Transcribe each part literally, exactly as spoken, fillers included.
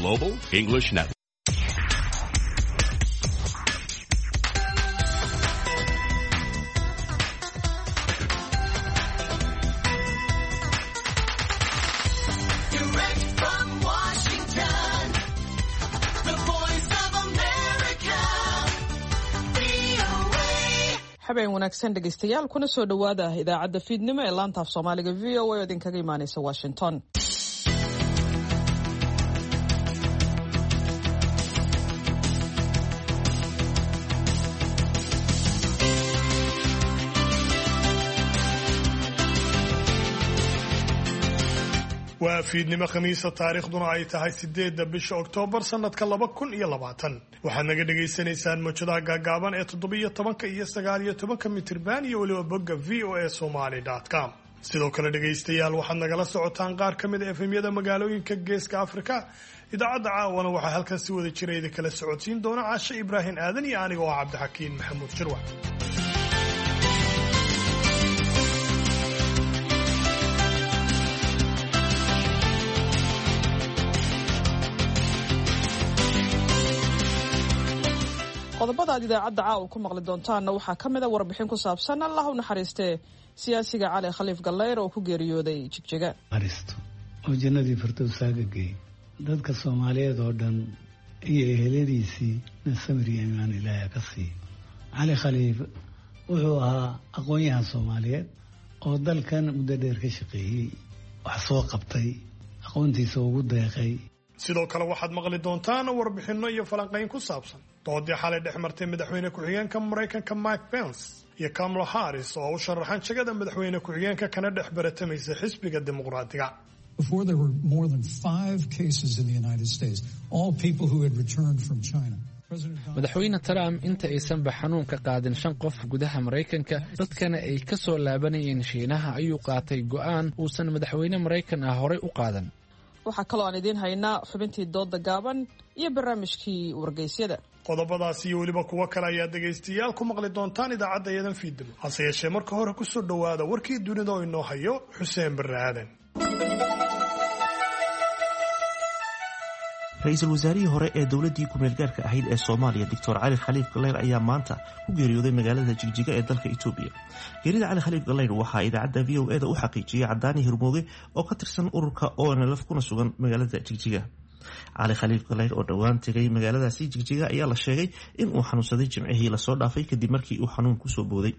Global English Network. Direct from Washington, the voice of America, V O A. Habeen wanaagsan, dhegaystayaal, kuna soo dhowaada idaacadda fiidnimo ee laanta af Soomaaliga V O A oo idinkaga imaanaysa Washington. Waa fiidnimo Khamiisa, taariikhduna ay tahay sideedda bisha Oktoobar sanadka laba kun iyo labaatan. Waxaad naga dhagaysanaysaan mawjadaha gaagaaban ee toddobiyo tobanka iyo sagaal iyo tobanka mitirban iyo weliba bogga V O A Somaly com. Sidoo kale, dhegaystayaal, waxaad nagala socotaan qaar ka mid a F M-yada magaalooyinka Geeska Afrika. Idaacadda caawana waxaa halkan si wada jira idin kala socodsiin doona Caashe Ibraahim Aadan iyo aniga oo ah Cabdixakiin Maxamuud Shirwac. Qodobada aad idaacadda caawa ku maqli doontaanna waxaa ka mid a warbixin ku saabsan, Allah u naxariistee, siyaasiga Cali Khaliif Gallayr oo ku geeriyooday Jigjiga. Aristo oo jannadii firdowsaaga geey, dadka Soomaaliyeed oo dhan iyo eheladiisii na samir iyo imaan Ilaahay ka siiyo. Cali Khaliif wuxuu ahaa aqoon-yahan Soomaaliyeed oo dalkan muddo dheer ka shaqeeyey, wax soo qabtay, aqoontiisa ugu deeqay. Sidoo kale waxaad maqli doontaan warbixinno iyo falanqayn ku saabsan doodii xalay dhex martay madaxweyne ku-xigeenka Maraykanka Mike Pence iyo Kamala Harris oo u sharaxan jagada madaxweyne ku-xigeenka kana dhex baratamaysa xisbiga Dimuqraadiga. Before, there were more than five cases in the United States, all people who had returned from China. President Donald Madaxweyne Trump inta aysanba xanuunka qaadin shan qof gudaha Maraykanka, dadkana ay ka soo laabanayeen Shiinaha, ayuu qaatay go'aan uusan madaxweyne Maraykan ah horey u qaadan. Waxaa kaloo aan idiin haynaa xubintii dooda gaaban iyo barnaamijkii wargeysyada. Qodobadaas iyo weliba kuwo kale ayaa dhegaystayaal ku maqli doontaan idaacadda iyadan fiidnimo. Hase yeeshee, marka hore kusoo dhowaada warkii dunida oo inoo hayo Xuseen Barre Aadan. Ra-iisul wasaarihii hore ee dowladdii ku-meelgaarka ahayd ee Soomaaliya, Doctor Cali Khaliif Galeyr, ayaa maanta ku geeriyooday magaalada Jigjiga ee dalka Itoobiya. Geerida Cali Khaliif Galeyr waxaa idaacadda V O E da u xaqiijiyey Cadaani Hirmooge oo ka tirsan ururka O N L F kuna sugan magaalada Jigjiga. Cali Khaliif Galeyr oo dhowaan tegay magaaladaasi Jigjiga ayaa la sheegay in uu xanuunsaday Jimcihii lasoo dhaafay, kadib markii uu xanuun kusoo booday.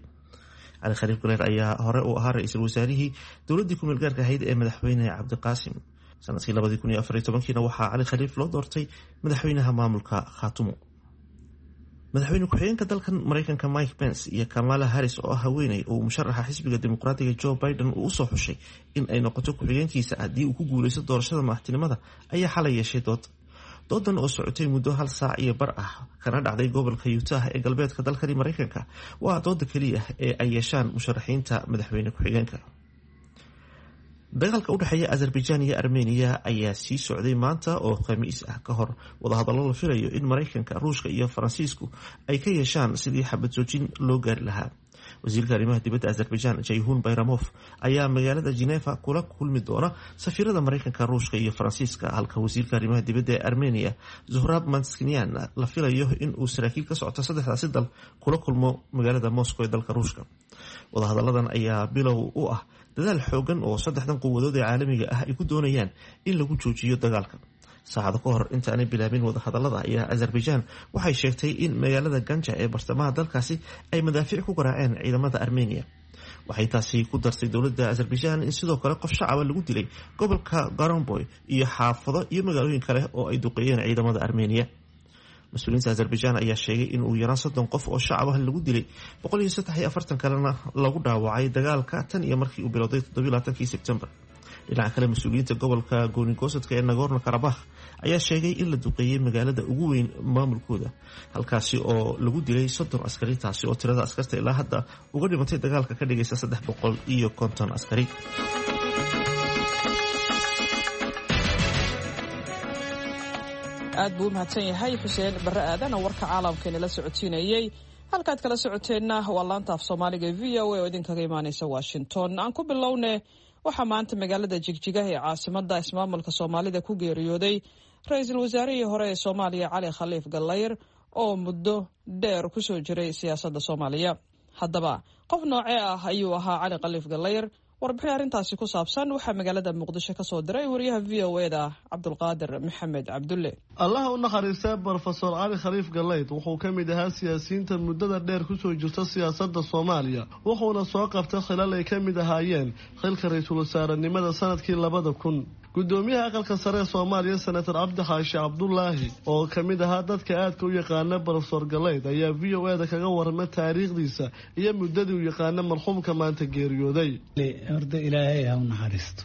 Cali Khaliif Galeyr ayaa hore u ahaa ra-iisul wasaarihii dowladdii ku-meelgaarka ahayd ee madaxweyne Cabdiqaasim. Sanadkii labadii kun iyo afar iyo tobankiina waxaa Cali Khaliif loo doortay madaxweynaha maamulka Khaatumo. Madaxweyne ku-xigeenka dalkan Mareykanka Mike Pence iyo Kamala Harris, oo ah haweeney uu musharaxa xisbiga Dimuqraadiga Joe Biden uu usoo xushay in ay noqoto ku-xigeenkiisa haddii uu ku guuleysto doorashada madaxtinimada, ayaa xalay yeeshay dood. Doodan oo socotay muddo hal saac iyo bar ah kana dhacday gobolka Utah ee galbeedka dalkani Mareykanka waa dooda keliya ee ay yeeshaan musharaxiinta madaxweyne ku-xigeenka. Dagaalka udhexeeya Azerbaijan iyo Armeniya ayaa sii socday maanta oo Khamiis ah, ka hor wadahadallo la filayo in Mareykanka, Ruushka iyo Faransiisku ay ka yeeshaan sidii xabad joojin loo gaari lahaa. Wasiirka arrimaha dibadda Azerbaijan Jayhun Bayramof ayaa magaalada Geneva kula kulmi doona safiirada Mareykanka, Ruushka iyo Faransiiska, halka wasiirka arrimaha dibadda ee Armenia Zohrab Manskinian la filayo in uu saraakiil ka socto saddexdaasi dal kula kulmo magaalada Moscow ee dalka Ruushka. Wadahadalladan ayaa bilow u ah dadaal xoogan oo saddexdan quwadood ee caalamiga ah ay ku doonayaan in lagu joojiyo dagaalka. Saacado ka hor intaanay bilaabin wadahadalada ayaa Azerbaijan waxay sheegtay in magaalada Ganja ee bartamaha dalkaasi ay madaafiic ku garaaceen ciidamada Armenia. Waxay taasi ku dartay dowladda Azerbaijan in sidoo kale qof shacaba lagu dilay gobolka Garamboy iyo xaafado iyo magaalooyin kale oo ay duqeeyeen ciidamada Armenia. Mas-uuliyiinta Azerbaijan ayaa sheegay in uu yaraan soddon qof oo shacab ah lagu dilay, boqol iyo saddex iyo afartan kalena lagu dhaawacay dagaalka tan iyo markii uu bilowday toddobiyo labaatankii Sebtembar. Dhinaca kale, mas-uuliyiinta gobolka goonigosadka ee Nagorno Karabakh ayaa sheegay in la duqeeyey magaalada ugu weyn maamulkooda, halkaasi oo lagu dilay soddon askari, taasi oo tirada askarta ilaa hadda uga dhimatay dagaalka ka dhigaysa saddex boqol iyo konton askari. Aad buu u mahadsan yahay Xuseen Barre Aadan oo warka caalamka inala socodsiinayey. Halkaad kala socoteenna waa laanta af Soomaaliga e V O A oo idinkaga imaaneysa Washington. Aan ku bilowne, waxaa maanta magaalada Jigjiga ee caasimada ismaamulka Soomaalida ku geeriyooday, ra-iisul wasaarihii hore ee Soomaaliya Cali Khaliif Gallayr oo muddo dheer ku soo jiray siyaasadda Soomaaliya. Haddaba qof noocee ah ayuu ahaa Cali Khaliif Gallayr? Warbixin arrintaasi ku saabsan waxaa magaalada Muqdisho ka soo diray wariyaha V O E da Cabdulqaadir Maxamed Cabdulle. Allaha u naxariistee Brofesor Cali Khaliif Galayd wuxuu ka mid ahaa siyaasiyiinta muddada dheer kusoo jirta siyaasadda Soomaaliya, wuxuuna soo qabtay xilal ay ka mid ahaayeen xilka ra-iisul wasaarenimada sanadkii labada kun. Gudoomiyaha aqalka sare ee Soomaaliya Senator Cabdi Xaashi Cabdulaahi oo ka mid ahaa dadka aadka u yaqaana Brofesor Galayd ayaa V O E da kaga warramay taariikhdiisa iyo muddadii uu yaqaana marxuumka maanta geeriyooday. Horta ilaahay ha u naxariisto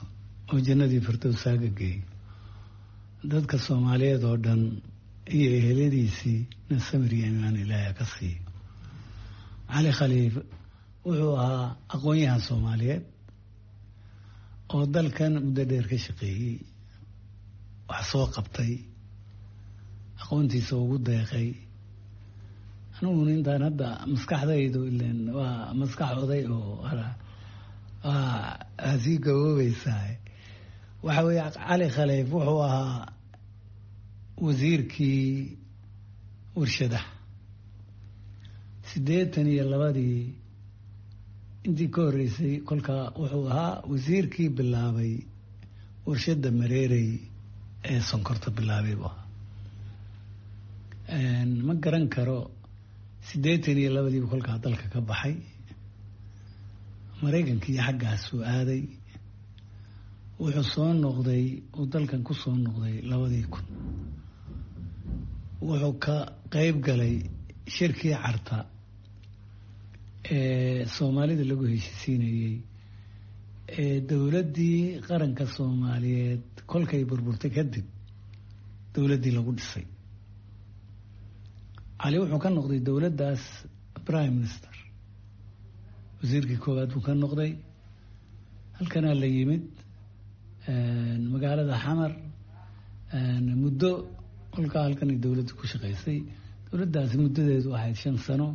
oo jannadii firdowsaaga geey, dadka Soomaaliyeed oo dhan iyo eheladiisii na samir iyo iimaan ilaahay ka siiyo. Cali Khaliif wuxuu ahaa aqoon-yahan Soomaaliyeed oo dalkan muddo dheer ka shaqeeyey, wax soo qabtay, aqoontiisa ugu deeqay. Aniguna intaan hadda maskaxdaydu ileen waa maskax oday oo waa sii gaboobaysaa. Waxa weeye Cali Khaliif wuxuu ahaa wasiirkii warshadaha siddeetan iyo labadii intii ka horreysay. Kolkaa wuxuu ahaa wasiirkii bilaabay warshadda Mareerey ee sonkorta bilaabay buu ahaa. Ma garan karo, siddeetan iyo labadiibu kolkaa dalka ka baxay, Maraykankii xaggaasuu aaday. Wuxuu soo noqday uu dalkan ku soo noqday labadii kun. Wuxuu ka qeyb galay shirkii Carta ee Soomaalida lagu heshiisiinayey ee dowladdii qaranka Soomaaliyeed kolkay burburtay kadib dowladdii lagu dhisay. Cali wuxuu ka noqday dowladdaas prime minister, wasiirkii koowaad buu ka noqday. Halkanaa la yimid magaalada Xamar muddo kolkaa halkanay dowladda ku shaqaysay. Dowladdaasi muddadeedu ahayd shan sano.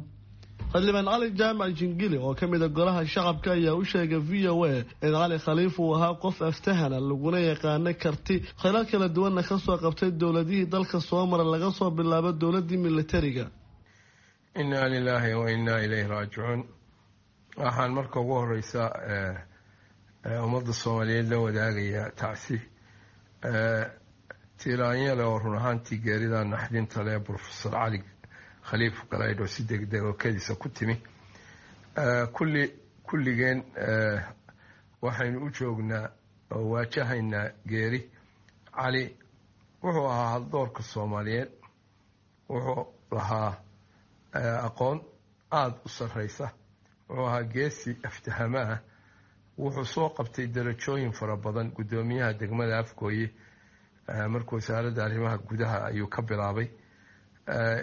Xildhibaan Cali Jaamac Jingili oo ka mid a golaha shacabka ayaa u sheegay V O A in Cali Khaliif uu ahaa qof aftahana laguna yaqaano karti, khilal kala duwanna ka soo qabtay dowladihii dalka soo mara laga soo bilaabo dowladdii militariga. Innaa lilaahi wa innaa ilayhi raajicuun. Waxaan marka ugu horeysa ummadda Soomaaliyeed la wadaagaya tacsi tiiraanyale oo run ahaantii geerida naxdinta leh Brofesor Cali Khaliif Galaydh oo si degdeg oo kediisa ku timi. Kulli kulligeen waxaynu u joognaa oo waajahaynaa geeri. Cali wuxuu ahaa haldoorka Soomaaliyeed, wuxuu lahaa aqoon aada u sarreysa, wuxuu ahaa geesi aftahama ah, wuxuu soo qabtay darajooyin fara badan. Guddoomiyaha degmada Afgooye markuu wasaaradda arrimaha gudaha ayuu ka bilaabay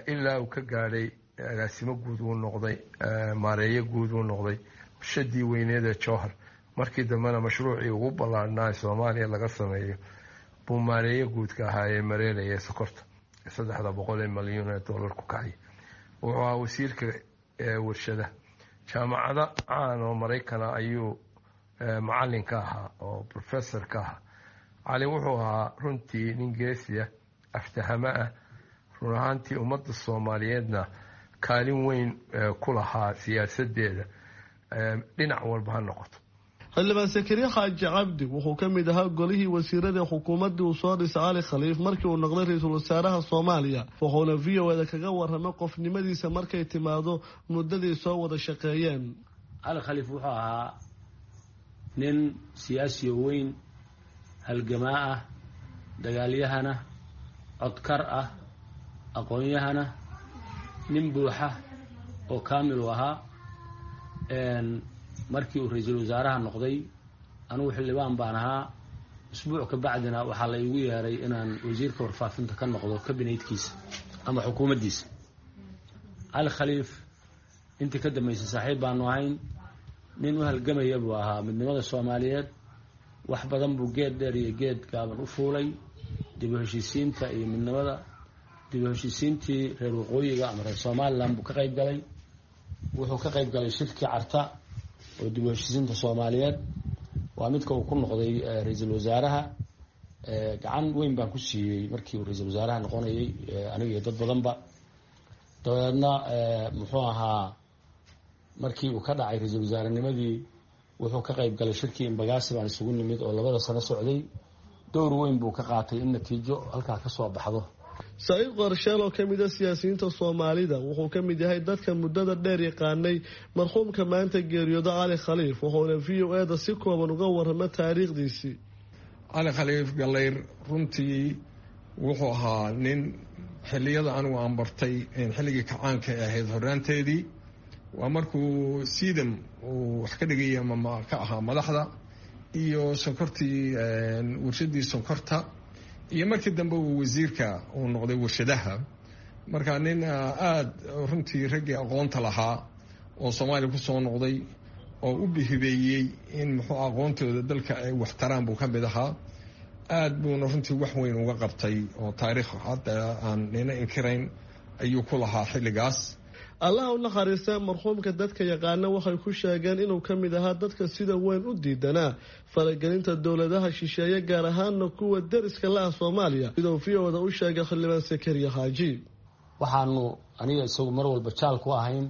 ilaa uu ka gaadhay agaasimo guud uu noqday, maareeyo guud uu noqday warshadii weyneed ee Jowhar. Markii dambena mashruucii ugu ballaarhnaa ee Soomaaliya laga sameeyo buu maareeyo guudka ahaa ee mareeraya ee sokorta saddexda boqol ee malyuun ee dollar ku kacay. Wuxuu ahaa wasiirka warshada. Jaamacada caan oo Maraykana ayuu macallin ka ahaa oo professor ka ahaa. Cali wuxuu ahaa runtii nin geesiya, aftahamo ah, run ahaantii ummadda Soomaaliyeedna kaalin weyn ku lahaa siyaasadeeda dhinac walba ha noqoto. Xildhibaan Sakariya Xaaji Cabdi wuxuu ka mid ahaa golihii wasiirada xukuumaddii uu soo dhisay Cali Khaliif markii uu noqday ra-iisul wasaaraha Soomaaliya, wuxuuna V O E da kaga warramay qofnimadiisa markay timaado muddadii soo wada shaqeeyeen. Cali Khaliif wuxuu ahaa nin siyaasi weyn, halgamaa ah, dagaalyahana, codkar ah, aqoon-yahana, nin buuxa oo kaamil u ahaa. Markii uu ra-iisul wasaaraha noqday anigu xildhibaan baan ahaa. Usbuuc ka bacdina waxaa la igu yeeray inaan wasiirka warfaafinta ka noqdo kabineydkiisa ama xukuumaddiisa. Cali Khaliif intii ka dambeysay saaxiib baanu ahayn, nin u halgamaya buu ahaa midnimada Soomaaliyeed. Wax badan buu geed dheer iyo geed gaaban u fuulay dib u heshiisiinta iyo midnimada. Dib u heshiisiintii reer waqooyiga ama reer Somaliland buu ka qayb galay. Wuxuu ka qayb galay shirkii Carta oo dib u heshiisiinta Soomaaliyeed, waa midka uu ku noqday ra-iisul wasaaraha. Gacan weyn baan ku siiyey markii uu ra-iisul wasaaraha noqonayay, aniga iyo dad badanba. Dabeedna muxuu ahaa, markii uu ka dhacay ra-iisul wasaarenimadii, wuxuu ka qayb galay shirkii Imbagaasi baan isugu nimid oo labada sano socday. Dowr weyn buu ka qaatay in natiijo halkaa ka soo baxdo. Saciid Qorsheel oo kamid a siyaasiyiinta Soomaalida wuxuu ka mid yahay dadka muddada dheer yaqaanay marxuumka maanta geeriyooda Cali Khaliif, wuxuuna V O A-da si kooban uga warama taariikhdiisii. Cali Khaliif Gallayr runtii wuxuu ahaa nin xilliyada anigu aan bartay xilligii kacaanka ay ahayd horraanteedii, waa markuu siidam uu wax ka dhigaya ama ka ahaa madaxda iyo sonkortii, warshadii sonkorta, iyo markii dambe uu wasiirka uu noqday warshadaha. Marka nin aada runtii raggii aqoonta lahaa oo Soomaaliya kusoo noqday oo u bihibeeyey in muxuu aqoontooda dalka ay waxtaraan buu ka mid ahaa. Aada buuna runtii wax weyn uga qabtay oo taariikh hadda aan nina inkirayn ayuu ku lahaa xilligaas. Allaha u naxariista marxuumka, dadka yaqaana waxay ku sheegeen inuu ka mid ahaa dadka sida weyn u diidanaa faragelinta dowladaha shisheeye, gaar ahaana kuwa deriska la ah Soomaaliya, siduu V O da u sheegay xildhibaan Sakariya Xaaji. Waxaanu aniga isagu mar walba jaal ku ahayn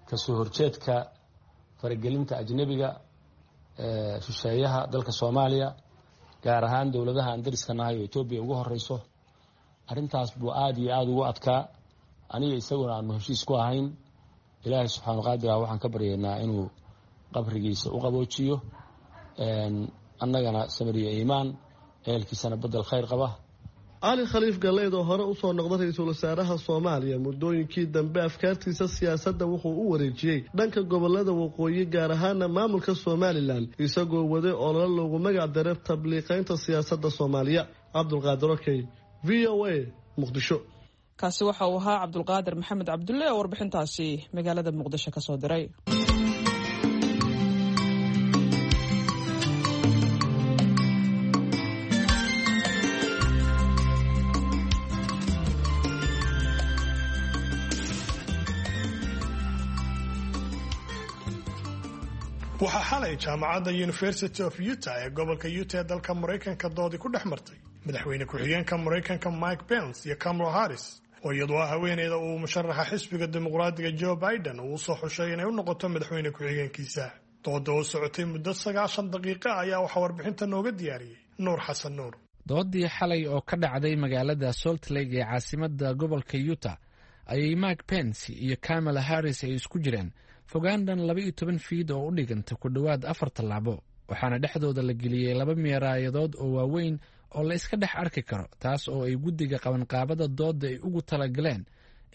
kasoo horjeedka faragelinta ajnabiga shisheeyaha dalka Soomaaliya, gaar ahaan dowladaha aan deriska nahay oo Etoobiya ugu horeyso. Arrintaas buu aada iyo aada ugu adkaa, aniga isaguna aanu heshiis ku ahayn. Ilaahay subxaanu qaadir ah waxaan ka baryaynaa inuu qabrigiisa u qaboojiyo, annagana samiriya iimaan, ehelkiisana bedel khayr qaba. Cali Khaliif Galleyd oo hore usoo noqda ra-iisul wasaaraha Soomaaliya, muddooyinkii dambe afkaartiisa siyaasadda wuxuu u wareejiyey dhanka gobolada waqooyi, gaar ahaana maamulka Somalilan, isagoo waday olole loogu magac daray tabliiqeynta siyaasadda Soomaaliya. Cabdulqaadir Okey, V O A, Muqdisho. Kaasi waxa uu ahaa Cabdulqaadir Maxamed Cabdulle oo warbixintaasi magaalada Muqdisho ka soo diray. Waxaa xalay jaamacadda University of Utah ee gobolka Utah ee dalka Maraykanka doodi ku dhex martay madaxweyne ku-xigeenka Maraykanka Mike Pence iyo Kamala Harris, oo iyadoo ah haweeneyda uu musharaxa xisbiga dimuqraadiga Joe Biden uu usoo xushay inay u noqoto madaxweyne ku-xigeenkiisa. Dooda oo socotay muddo sagaashan daqiiqa ayaa waxaa warbixinta nooga diyaariyey Nuur Xasan Nuur. Doodii xalay oo ka dhacday magaalada Salt Lake ee caasimadda gobolka Utah ayay Mike Pence iyo Kamala Harris ay isku jireen fogaan dhan laba iyo toban fiid oo u dhiganta ku dhowaad afar tallaabo, waxaana dhexdooda la geliyey laba meeraayadood oo waaweyn oo la iska dhex arki karo, taas oo ay guddiga qabanqaabada doodda ay ugu talagaleen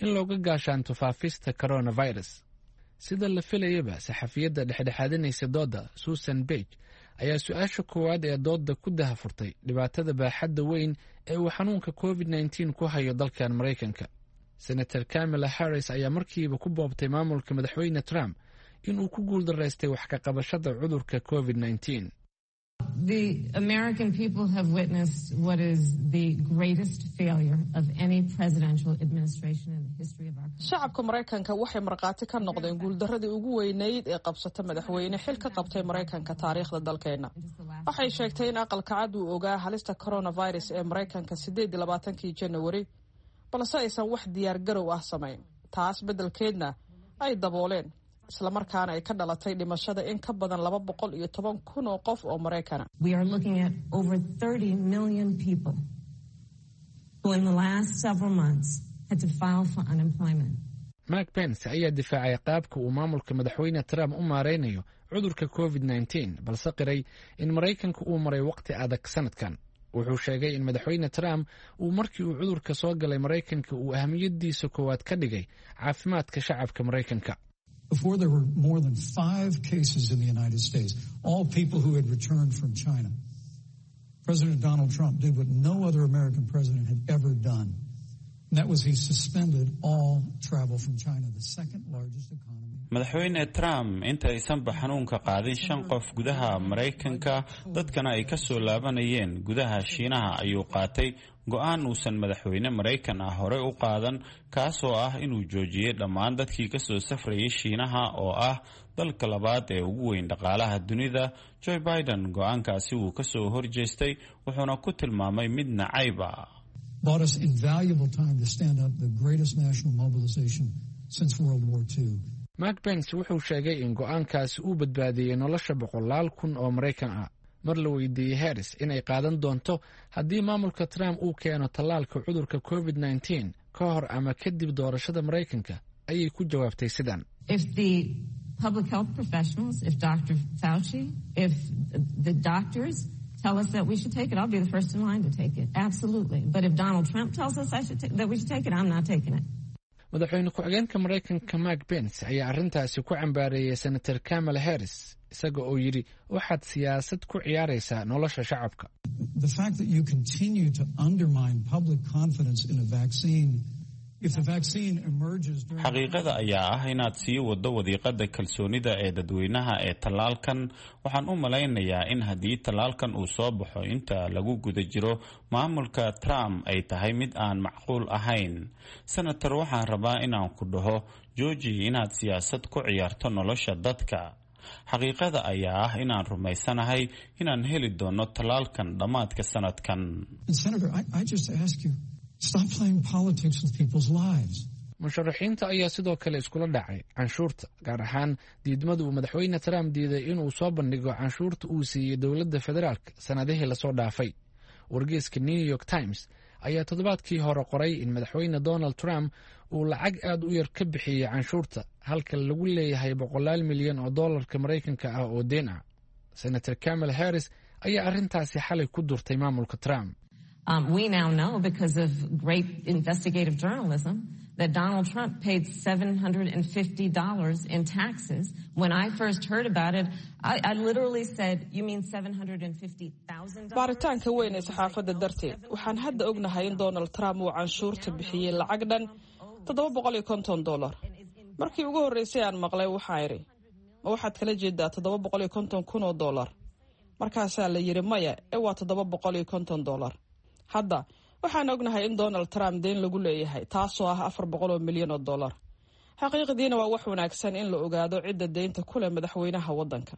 in looga gaashaanto faafista coronavirus. Sida la filayaba, saxafiyadda dhexdhexaadinaysa doodda Susan Bage ayaa su-aasha koowaad ee doodda ku dahafurtay dhibaatada baaxadda weyn ee uu xanuunka covid nineteen ku hayo dalkan Maraykanka. Senator Kamala Harris ayaa markiiba ku boobtay maamulka madaxweyne Trump inuu ku guuldaraystay wax ka qabashada cudurka covid nineteen. The American people have witnessed what is the greatest failure of any presidential administration in the history of our country. Shacabka Maraykanka waxay markhaati ka noqdeen guuldaradii ugu weynayd ee qabsata madaxweyne xil ka qabtay Maraykanka taariikhda dalkeena. Waxay sheegtay in aqalka cad uu ogaa halista coronavirus ee Maraykanka sideed iyo labaatankii January, balse aysan wax diyaar garow ah samayn, taas beddelkeedna ay dabooleen, islamarkaana ay ka dhalatay dhimashada in ka badan laba boqol iyo toban kun oo qof oo Maraykana. We are looking at over thirty million people who in the last several months had to file for unemployment. Mike Pence ayaa difaacay qaabka uu maamulka madaxweyne Trump u maareynayo cudurka covid nineteen, balse qiray in Maraykanka uu maray waqti adag sanadkan. Wuxuu sheegay in madaxweyne Trump uu markii uu cudurka soo galay Maraykanka uu ahamiyadiisa koowaad ka dhigay caafimaadka shacabka Maraykanka. Before there were more than five cases in the United States, all people who had returned from China, President Donald Trump did what no other American president had ever done. And that was he suspended all travel from China, the second largest economy. Madaxweyne Trump inta aysanba xanuunka qaadin shan qof gudaha Maraykanka, dadkana ay ka soo laabanayeen gudaha Shiinaha, ayuu qaatay go'aan uusan madaxweyne Maraykan ah horey u qaadan, kaasoo ah inuu joojiyey dhammaan dadkii ka soo safrayay Shiinaha oo ah dalka labaad ee ugu weyn dhaqaalaha dunida. Joe Biden go'aankaasi wuu ka soo horjeestay, wuxuuna ku tilmaamay mid nacayb ah. Bought us invaluable time to stand up the greatest national mobilization since World War Two. Mark Pence wuxuu sheegay in go'aankaasi uu badbaadiyey nolosha boqolaal kun oo Maraykan ah. Mar la weydiiyey Harris inay qaadan doonto haddii maamulka Trump uu keeno tallaalka cudurka covid nineteen ka hor ama kadib doorashada Maraykanka, ayay ku jawaabtay sidan: If the public health professionals, if Doctor Fauci, if the doctors tell us that we should take it, I'll be the first in line to take it. Absolutely. But if Donald Trump tells us I should ta- that we should take it, I'm not taking it. Madaxweyne ku-xigeenka Maraykanka Mike Pence ayaa arrintaasi ku cambaareeyey Senator Kamala Harris, isaga oo yidhi waxaad siyaasad ku ciyaaraysaa nolosha shacabka. The fact that you continue to undermine public confidence in a vaccine, if the vaccine emerges during Xaqiiqada ayaa ah inaad sii waddo wadiiqada kalsoonida ee dadweynaha ee tallaalkan. Waxaan u malaynayaa in haddii tallaalkan uu soo baxo inta lagu guda jiro maamulka Trump ay tahay mid aan macquul ahayn. Senator, waxaan rabaa inaan ku dhaho jooji inaad siyaasad ku ciyaarto nolosha dadka. Xaqiiqada ayaa ah inaan rumaysanahay inaan heli doono tallaalkan dhammaadka sanadkan. And Senator, I, I just ask you, stop playing politics with people's lives. Musharaxiinta ayaa sidoo kale iskula dhacay canshuurta, gaar ahaan diidmada uu Madaxweyne Trump diiday inuu soo bandhigo canshuurta uu siiyey dowladda federaalka sannadihii lasoo dhaafay. Wargeyska New York Times ayaa toddobaadkii hore qoray in Madaxweyne Donald Trump uu lacag aad u yar ka bixiyey canshuurta, halka lagu leeyahay boqolaal milyan oo dollarka Maraykanka ah oo deen ah. Senator Kamala Harris ayaa arrintaasi xalay ku durtay maamulka Trump. Um, we now know because of great investigative journalism that Donald Trump paid seven hundred fifty dollars in taxes. When I first heard about it, I, I literally said, "You mean seven hundred fifty thousand dollars" Baaritaanka weyn ee saxaafadda darteed, waxaan hadda ognahay in Donald Trump uu canshuurta bixiyey lacag dhan toddoba boqol iyo konton dollar. Markii ugu horreysay aan maqlay, waxaa idhi, "Ma waxaad kala jeedaa toddoba boqol iyo konton kun oo dollar?" Markaasaa la yidhi, "Maya, ee waa toddoba boqol iyo konton dollar." Hadda waxaan ognahay in Donald Trump deyn lagu leeyahay, taasoo ah afar boqol oo milyan oo dollar. Xaqiiqdiina waa wax wanaagsan in la ogaado cidda deynta ku leh madaxweynaha waddanka,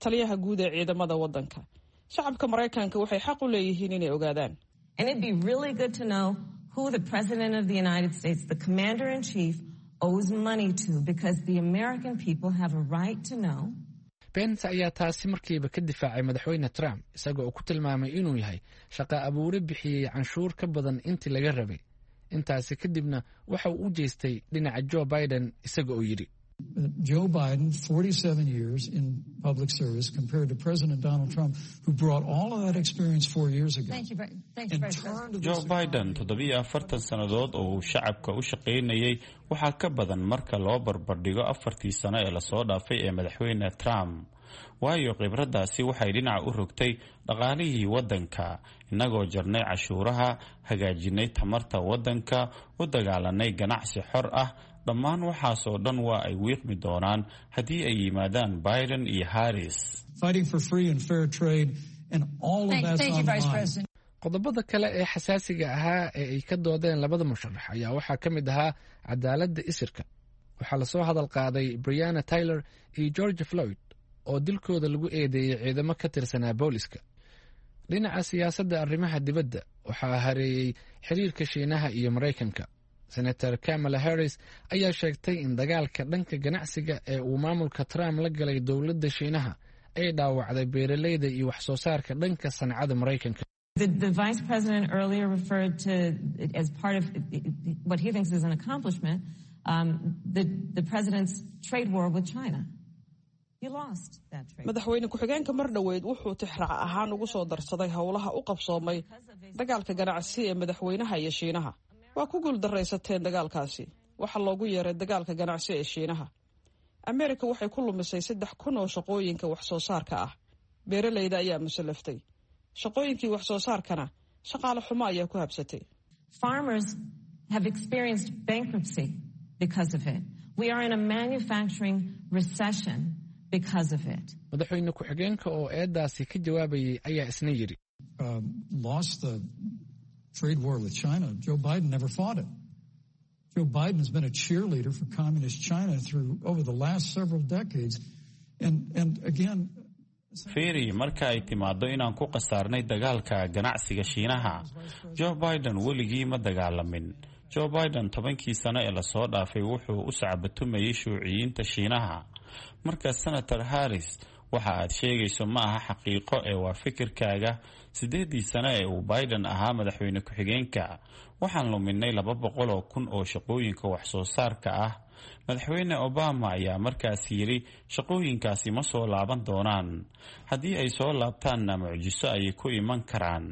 taliyaha guud ee ciidamada waddanka. Shacabka Maraykanka waxay xaq u leeyihiin inay ogaadaan. And it'd be really good to know who the President of the United States, the Commander in Chief, owes money to, because the American people have a right to know. Pence ayaa taasi markiiba ka difaacay Madaxweyne Trump, isaga oo ku tilmaamay inuu yahay shaqa abuure bixiyey canshuur ka badan intii laga rabay. Intaasi kadibna waxa uu u jeestay dhinaca Joe Biden, isaga oo yidhi: Joe Biden, forty-seven years in public service, compared to President Donald Trump, who brought all of that experience four years ago. Thank you, thank you, and Vice President. turned Joe this Biden toddobiyo afartan sannadood oo uu shacabka u shaqaynayay waxaa ka badan marka loo barbardhigo afartii sano ee lasoo dhaafay ee Madaxweyne Trump, waayo khibraddaasi waxay dhinaca u rogtay dhaqaalihii waddanka, innagoo jarnay cashuuraha, hagaajinay tamarta waddanka, u dagaalanay ganacsi xor ah. Dhammaan waxaasoo dhan waa ay wiiqmi doonaan haddii ay yimaadaan Biden iyo Harris. Fighting for free and fair trade, and all of Thank, that's thank you, on the Vice line. President. Qodobada kale ee xasaasiga ahaa ee ay ka doodeen labada musharax ayaa waxaa ka mid ahaa cadaaladda isirka. Waxaa lasoo hadal qaaday Breonna Taylor iyo George Floyd oo dilkooda lagu eedeeyey ciidamo ka tirsanaa booliska. Dhinaca siyaasadda arrimaha dibadda, waxaa hareeyey xiriirka Shiinaha iyo Maraykanka. Senator Kamala Harris ayaa sheegtay in dagaalka dhanka ganacsiga ee uu maamulka Trump la galay dowladda Shiinaha ay dhaawacday beeraleyda iyo wax soo saarka dhanka sancada Maraykanka. The, the vice president earlier referred to, as part of what he thinks is an accomplishment, um, the, the president's trade war with China. He lost that trade. Madaxweyne ku-xigeenka mar dhoweyd wuxuu tixraac ahaan ugu soo darsaday howlaha u qabsoomay dagaalka ganacsi ee madaxweynaha iyo Shiinaha. Waa ku guuldaraysateen dagaalkaasi. Waxaa loogu yeeray dagaalka ganacsi ee Shiinaha. Ameerika waxay ku lumisay saddex kun oo shaqooyinka wax soo saarka ah. Beeralayda ayaa musallaftay, shaqooyinkii wax soo saarkana shaqaale xumo ayaa ku habsatay. Farmers have experienced bankruptcy because of it. We are in a manufacturing recession because of it. Madaxweyne ku-xigeenka oo eedaasi ka jawaabayay ayaa isna yidhi, Um, lost the trade war with China. Joe Biden never fought it. Joe Biden has been a cheerleader for communist China through over the last several decades. And, and again, Fiiri, marka ay timaado inaan ku khasaarnay dagaalka ganacsiga Shiinaha, Joe Biden weligii ma dagaalamin. Joe Biden tobankii sano ee lasoo dhaafay wuxuu u sacbatumayay shuuciyiinta Shiinaha. Marka, Senator Harris, waxa aad sheegayso ma aha xaqiiqo ee waa fikirkaaga. Sideedii sano ee uu Biden ahaa madaxweyne ku-xigeenka, waxaan luminay laba boqol oo kun oo shaqooyinka wax soo saarka ah. Madaxweyne Obama ayaa markaas yidhi shaqooyinkaasi ma soo laaban doonaan, haddii ay soo laabtaanna mucjiso ayay ku iman karaan.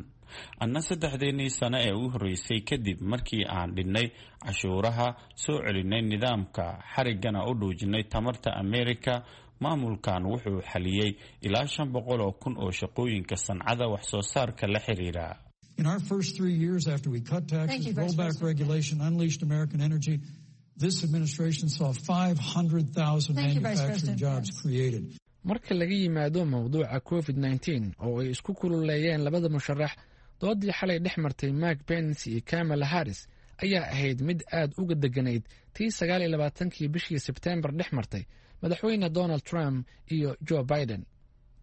Anna saddexdeennii sano ee u horreysay kadib markii aan dhinnay cashuuraha, soo celinay nidaamka, xariggana u dhuujinay tamarta Amerika, maamulkan wuxuu xaliyey ilaa shan boqol oo kun oo shaqooyinka sancada wax soo saarka la xiriira. In our first three years after we cut taxes, you, Vice rolled back President. regulation, unleashed American energy, this administration saw five hundred thousand Thank you, Vice manufacturing President jobs Pence. created. Marka laga yimaado mowduuca covid nineteen oo ay isku kululeeyeen labada musharax, doodii xalay dhex martay Mike Pence iyo Kamala Harris ayaa ahayd mid aad uga deganayd tii sagaal iyo labaatankii bishii Sebteembar dhex martay madaxweyne Donald Trump iyo Joe Biden.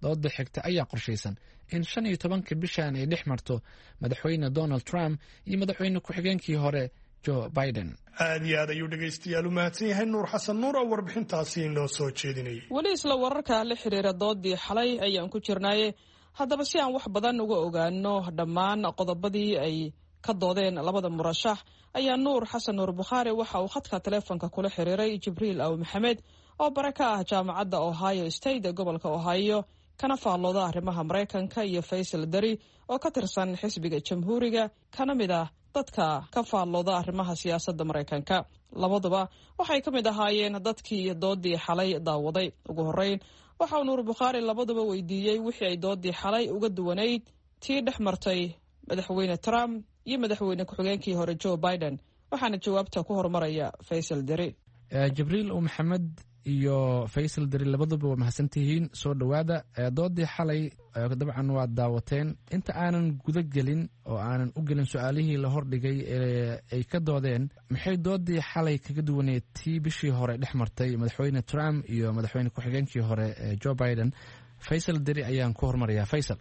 Dooda xigta ayaa qorshaysan in shan iyo tobanka bishan ay dhex marto madaxweyne Donald Trump iyo madaxweyne ku-xigeenkii hore Joe Biden. Aad iyo aad ayuu dhegaystayaal u mahadsan yahay Nuur Xasan Nuur oo warbixintaasi inoo soo jeedinayay. Weli isla wararka la xiriira doodii xalay ayaan ku jirnaaye. Haddaba, si aan wax badan uga ogaano dhammaan qodobadii ay ka doodeen labada murashax, ayaa Nuur Xasan Nuur Bukhaari waxa uu khadka taleefonka kula xiriiray Jibriil Aw Maxamed oo bare ka ah jaamacadda Ohio State ee gobolka Ohio, kana faallooda arrimaha Maraykanka, iyo Faysal Dari oo ka tirsan xisbiga Jamhuuriga, kana mid ah dadka ka faallooda arrimaha siyaasadda Maraykanka. Labaduba waxay ka mid ahaayeen dadkii doodii xalay daawaday. Ugu horreyn waxa uu Nuur Bukhaari labaduba weydiiyey wixii ay doodii xalay uga duwanayd tii dhex martay madaxweyne Trump iyo madaxweyne ku-xigeenkii hore Joe Biden, waxaana jawaabta ku horumaraya Faysal Deri. Eh, Jibriil U Maxamed iyo Faysal Dari, labaduba waa mahadsantihiin, soo dhowaada. Eh, doodii xalay eh, dabcan waad daawateen. Inta aanan guda gelin oo aanan u gelin su-aalihii la hordhigay ee ay ka doodeen, maxay doodii xalay kaga duwaneed tii bishii hore dhex martay madaxweyne Trump iyo madaxweyne ku-xigeenkii hore eh, Joe Biden? Faysal Dari ayaan ku hormarayaa. Faysal.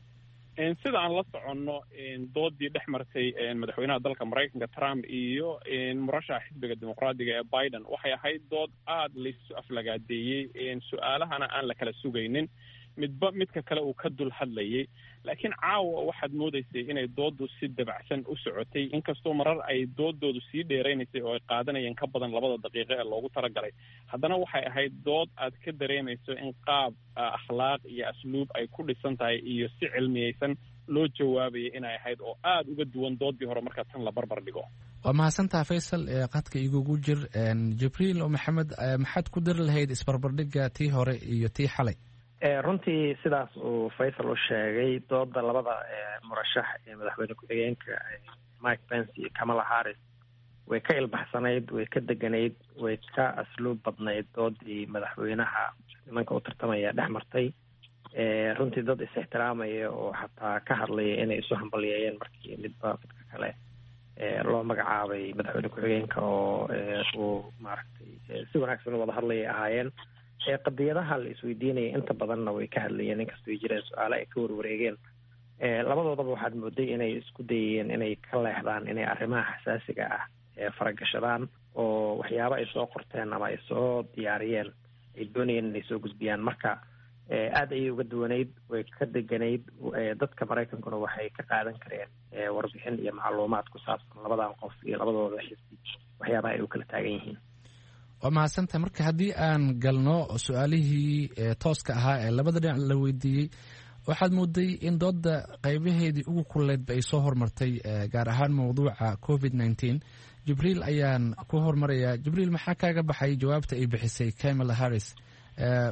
Sida aan la soconno, doodii dhex martay madaxweynaha dalka Maraykanka Trump iyo murashaxa xisbiga Dimuqraadiga ee Biden waxay ahayd dood aada laysu aflagaadeeyey, su-aalahana aan la kala sugaynin, midba midka kale uu ka dul hadlayay. Laakiin caawa waxaad moodaysay inay dooddu si dabacsan u socotay, inkastoo marar ay doodoodu sii dheeraynaysay oo ay qaadanayeen ka badan labada daqiiqo ee loogu talagalay. Haddana waxay ahayd dood aad ka dareemayso in qaab akhlaaq iyo asluub ay ku dhisan tahay iyo si cilmiyeysan loo jawaabayay inay ahayd, oo aada uga duwan doodii hore marka tan la barbar dhigo. Waa mahadsantaha Faysal. Ee qadka igugu jir. Jibriil oo Maxamed, maxaad ku dari lahayd isbarbardhigga tii hore iyo tii xalay? Runtii sidaas uu Faysal u sheegay, dooda labada murashax ee madaxweyne ku-xigeenka Mike Pence iyo Kamala Harris way ka ilbaxsanayd, way ka deganayd, way ka asluub badnayd doodii madaxweynaha nimanka u tartamaya dhex martay. Runtii dad is-ixtiraamaya oo xataa ka hadlaya inay isu hambalyeeyeen markii midba midka kale loo magacaabay madaxweyne ku-xigeenka oo uu maaragtay si wanaagsan u wada hadlayay ahaayeen. Qadiyadaha la isweydiinaya inta badanna way ka hadlayeen, inkastoo ay jireen su-aale ay ka warwareegeen. Labadoodaba waxaad mooday inay isku dayayeen inay ka leexdaan inay arrimaha xasaasiga ah faragashadaan oo waxyaabo ay soo qorteen ama ay soo diyaariyeen ay doonayeen inay soo gudbiyaan. Marka aada ayay uga duwanayd, way ka deganayd. Dadka Maraykankuna waxay ka qaadan kareen warbixin iyo macluumaad ku saabsan labadan qof iyo labadooda xisbi waxyaabaha ay u kala taagan yihiin. Waa mahadsantahay. Marka haddii aan galno su-aalihii tooska ahaa ee labada dhinac la weydiiyey, waxaad mooday in dooda qaybaheedii ugu kululeydba ay soo hormartay, gaar ahaan mowduuca covid nineteen. Jibriil ayaan ku hormarayaa. Jibriil, maxaa kaaga baxay jawaabta ay bixisay Kamala Harris?